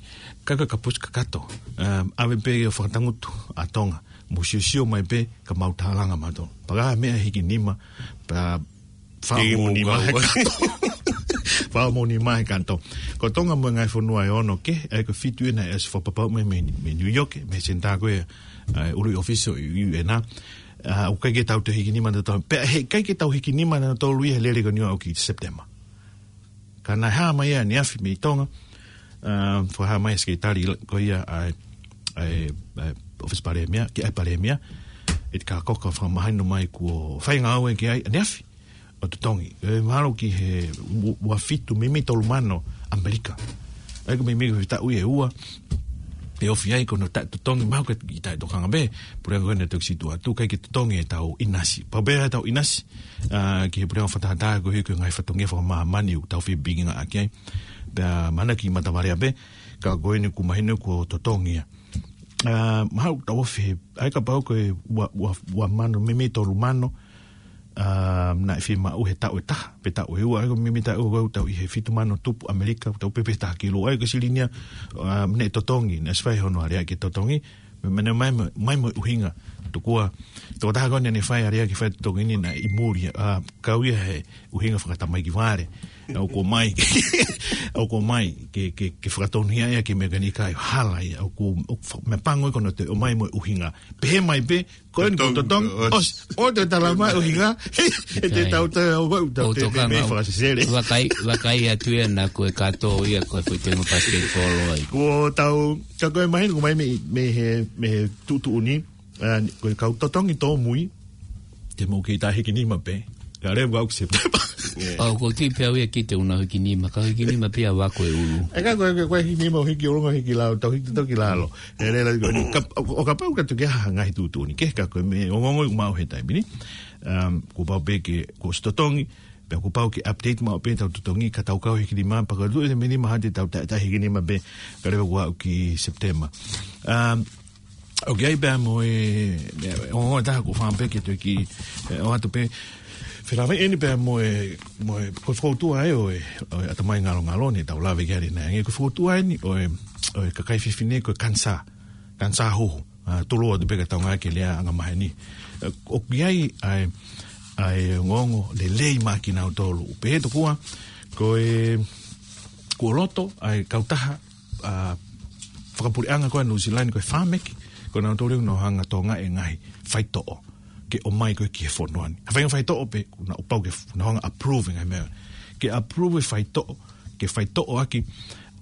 ka ko e kapusi kakato. Ē, ʻave pē ʻo fakatangutu ʻa Tonga. Mo siosio mai pē ka mau tālanga mautolu. Pea ka meʻa hiki nima, pea Hiki fakamoʻoni mukau. mai he kato. Fakamoʻoni mai he kato. Ko Tonga mo e ngaahi fonua ʻe ono kehe, ʻa ia ko e fitu ena ʻe ʻosi fakapapauʻi mai mei, mei New York, mei he senitā ko ē, ʻa e ʻuluʻi ʻōfisi ʻo e U N. Ā, ʻoku ʻikai ke tau toe hiki nima ʻa tautolu. Pea heʻikai ke tau hiki nima ʻa tautolu ia he lele ko eni ʻo aʻu ki Sepitema. Ka naʻe hā mai ia ʻaneafi mei Tonga, ā, fakahā mai e sekelitali ko ia ʻa e, ʻa e, ʻa e, ʻOfisi Palēmia, ki he ʻAi Palēmia, ʻe te ka koka fakamahino mai kuo fai ngāue ki ai, ʻaneafi ʻo totongi. ʻE mahalo ki he u-, ua fitu mimi tolu mano ʻAmelika. ʻA ia ko e mimi ko e taʻu ʻe ua, ʻe ofi ai ko hono taʻetotongi, mahalo ko e taʻetokanga pē, puleʻanga ko eni ʻa e Toki Situʻatu, ʻikai ke totongi ʻetau ʻinasi. Pau pē ʻetau ʻinasi, ʻa, ki he puleʻanga fakatātā ko e hiki ngaahi fatongia fakamāmani ʻoku tau fie pikinga ʻaki ai. Pea mana ki matavalea pē, ka ko eni kuo mahino kuo totongi ia. ʻA, mahalo tau ofi he, ʻa ia kapau ko e ua, ua, ua mano mimi tolu mano, ʻa, naʻe fiemaʻu he taʻu ʻe taha, pe taʻu ʻe ua, ʻa ia ko e mimi taʻu ko ē ʻoku tau ʻi he fitu mano tupu ʻAmelika, ʻoku tau pehē pē taha kilu, ʻa ia ko e silini ia, ʻa, naʻe totongi, naʻe ʻosi fai hono alea ke totongi, me, me ne mai, mai, mai mo e ʻuhinga, tokua, tokotaha ko eni naʻe fai alea ke fai totongi ni naʻe ʻi muli, ʻa, kau ia he ʻuhinga fakatamaiki vale, ʻa, ʻoku ʻomai, ʻoku ʻomai, ke, ke, ke fakatonuhia ia ke mekanika ʻe hala ia, ʻoku, ʻoku fa-, meʻapango ia ko hono toe ʻomai mo e ʻuhinga. Pehē mai pē, ko eni kuo totongi, ʻosi, ʻosi, ʻosi toe talamai ʻuhinga, ʻe te tau toe, ʻo, ʻo, tau ʻOku te tokanga mei ʻo fakasesele. Vakai, vakai atu ia naʻa ko e kato ia ko e foʻi tenga basketball ai. Kuo tau, ka ko e mahino, ko e mai mei, mei he, mei he tuʻutuʻuni, ʻa, ko e kau totongi tōmui, te mou kei tā hiki nima pē. Ka leva ʻoku September. ʻOku ou tui pē au ia ki te una hiki nima, ka hiki nima pē ʻa vako e ulu. ʻE ka ko e, ko e hiki nima ʻo hiki ʻolunga hiki lalo, tau hiki toki lalo. ʻE lele ko eni, ka, ʻo, ʻo kapau ka tuku ha ngaahi tuʻutuʻuni, ke ka ko e meʻa ongoongo ʻoku maʻu he taimi ni. Um, kuo pau pē ke, kuo ʻosi totongi, pea kuo pau ke update maʻu pē ʻetau totongi, ka tau kau hiki nima, pea ka tuʻu ʻe mei nima hati tau tā, tā hiki nima pē, ka leva kuo aʻu ki September. Um, ʻOku ʻi ai pea mo e, e, ʻo, ʻo taha ko fā pē ke toe ki, e, ʻoatu pē. Felāveʻi eni pea mo e, mo e, ko e fokoutua ʻa e ʻo e, ʻo e ʻatamai ngalongalo ni tau lave ki ai ʻanenai. Ko e fokoutua eni ʻo e, ʻo e kakai fefine ko e kanisā, kanisā huhu, ʻa, tolo atu pē ka tau ngāueʻaki e lea angamaheni. E, ʻoku ʻi ai ʻa e, ʻa e ongoongo lelei maʻa kinautolu. Pehē tokua, ko e, kuo loto ʻa e kautaha, ʻa, fakapuleʻanga ko ē ʻa Nuʻu Sila ni ko e Pharmac, ko nautolu ʻoku nau hanga ʻo tokangaʻi e ngaahi faitoʻo ke ʻomai ko ē ki he fonua ni. Ha faʻahinga faitoʻo pē, ʻoku nau pau ke f-, nau hanga ʻo approve e ngaahi meʻa. Ke approve e faitoʻo, ke faitoʻo ʻaki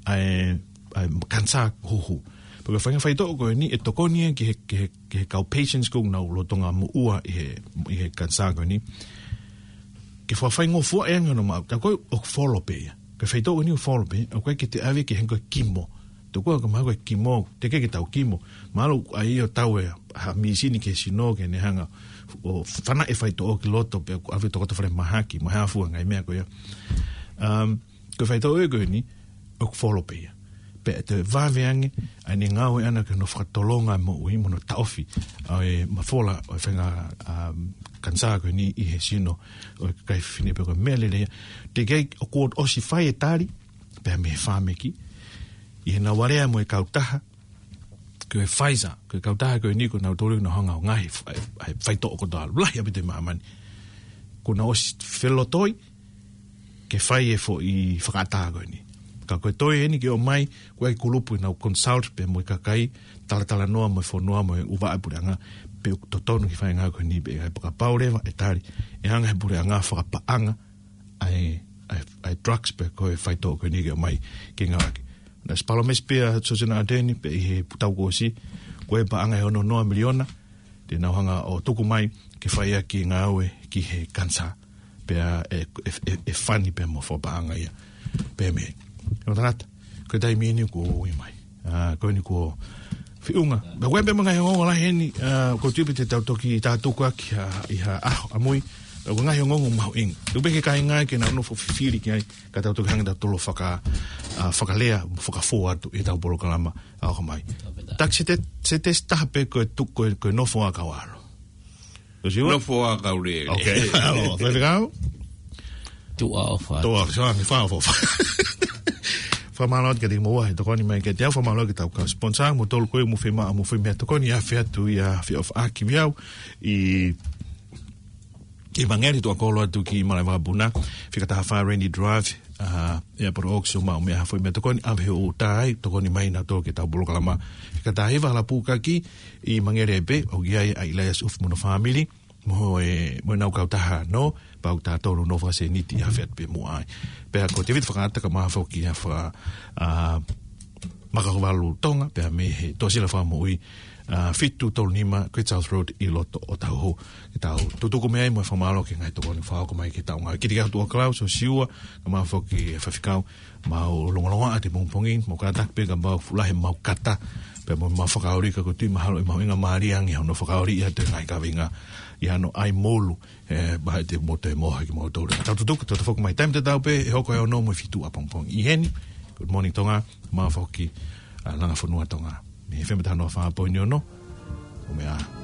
ʻa e, ʻa e kanisā huhu. Pea ko e faʻahinga faitoʻo ko eni ʻe tokoni ia ki he, ki he, ki he kau patients ko ē ʻoku nau lolotonga moʻua ʻi he, ʻi he kanisā ko eni. Ke fakafaingofua e anga hono maʻu, ka ko e ʻoku folo pē ia. Ko e faitoʻo ko eni ʻoku folo pē, ʻoku ʻikai ke te ʻave ki he ko e kimo. Tokua ka mahalo ko e kimo, teʻeki ke tau kimo. Mahalo ʻa ia ʻoku tau ʻi ai ha mīsini ki he sino ke ne hanga ʻo fanaʻi e faitoʻo ki loto pea ʻoku ʻave tokoto falemahaki, mo e hā fua ngaahi meʻa ko ia. Um, ko e faitoʻo ia ko eni, ʻoku folo pē ia. Pea ʻe toe vave ange ʻa ʻene ngāue ʻana ki hono fakatolonga e moʻui mo hono taʻofi ʻa e mafola ʻo e faʻahinga, um, kanisā ko eni ʻi he sino ʻo e kakai fefine pea ko e meʻa lelei ia. Teʻeki ai ʻoku ʻosi fai e tali, pea mei he Pharmac, ʻi heʻenau alea mo e kautaha, ko e Pfizer, ko e kautaha ko eni ko nautolu ʻoku nau hanga ʻo ngaohi e f-, e, e faitoʻo kotoa lahi ʻaupito ʻi māmani. Kuo nau ʻosi felotoi, ke fai e foʻi fakaʻatā ko eni. Ka ko e toe eni ke ʻomai, ko e kulupu ʻoku nau consult pē mo e kakai, talatalanoa mo e fonua mo e ʻū vaʻe puleʻanga, pe ʻoku totonu ke fai e ngāue ko eni pe ʻikai, pea kapau leva ʻe tali, ʻe hanga he puleʻanga ʻo fakapaʻanga ʻa e, ʻa e, ʻa e drugs pe ko e faitoʻo ko eni ke ʻomai ke ngāueʻaki. Naʻe ʻosi palōmesi pē ʻa Sosena Ateni pē ʻi he tau kuo ʻosi, ko e paʻanga ʻe ono noa miliona, te nau hanga ʻo tuku mai ke fai ʻaki e ngāue ki he kanisā. Pea ʻe, ʻe, ʻe, ʻe fani pē mo fakapaʻanga ia. Pea mei. ʻE o tangata, ko e taimi eni kuo ui mai. ʻA, ko eni kuo feʻunga. Pea ko e pē mo e ngaahi ongoongo lahi eni, ʻa, ʻoku ou tui pē te tau toki tātuku ʻaki ha, ʻi ha ʻaho ʻamui. Pea ko e ngaahi ongoongo mahuʻinga. Tuku pē ki he kāinga ke nau nofo fifili ki ai, ka tau toki hanga ʻo tolo faka-, ʻa, fakalea, fakafō atu ʻi heʻetau polokalama ʻa ʻoka mai. Taki se te, se te taha pē ko e tu-, ko e, ko e nofo ʻa kau ʻalu. Ko siua? Nofo ʻa kau lele. Ok. ʻAlo, faifekau? Tuʻa ʻofa. Tuʻa ʻofa, sorry, fa ʻofa. Fakamālō atu kiate kimoua he tokoni mai kiate au, fakamālō ki heʻetau kau sponsor, mo tolu ko ē ʻoku mou fiemaʻu, mou fiemaʻu tokoni ʻa e afe atu ia, fie ʻofa ʻaki mei au, ʻi ʻi Vangeli Tuʻakolo atu ki Malaʻevakapuna, fika taha fā Rainey Drive, ʻa, ʻi Airport Oaks, ʻo maʻu mei ai ha foʻi meʻatokoni, ʻave he ʻoku tā ai, tokoni mai nautolu ki heʻetau polokalama. Fika taha hiva Halapūkaki ʻi Vangeli ai pē, ʻoku ʻi ai ʻa ʻIlaiasi ʻUfi mo hono fāmili, mo e, mo ʻenau kautaha nō, pea ʻoku tā tonu nō fakasēniti ʻi he afe atu pē muʻa ai. Pea ko Tēvita Fakaʻata kae ʻumaʻā foki ʻa Faka-, ʻa, Makahuvalu Tonga, pea mei he Tuʻasila Fakamoʻui, ʻa, fitu tolu nima Great South Road ʻi loto ʻo Tauhu. Ke tau tutuku mei ai mo e fakamālō ki he ngaahi tokoni fakahoko mai ki he taʻu ngāue. Kiate kia Tuʻa Klaus ʻo Siua, kae ʻumaʻā foki e faifekau, mau longolongoaʻa atu he pongipongi ni, mau kātaki pē ka mau fuʻu lahi ʻemau kata, pea mo ʻemau fakaoli ka ʻoku ou tui mahalo ʻe mahuʻinga mālie ange hono fakaoli ia ʻi he ngaahi kaveinga ʻi hano ʻai molu, ʻe, pea ʻe toe mohe kimoutolu. Tau tutuku, tau toe foki mai taimi tatau pē, ʻe hoko e ono mo e fitu ʻapongipongi. ʻI heni, Good Morning Tonga, mo foki, ʻa, Langa Fonua Tonga. Mei he F M taha noa fā poini ono, ʻo meʻa.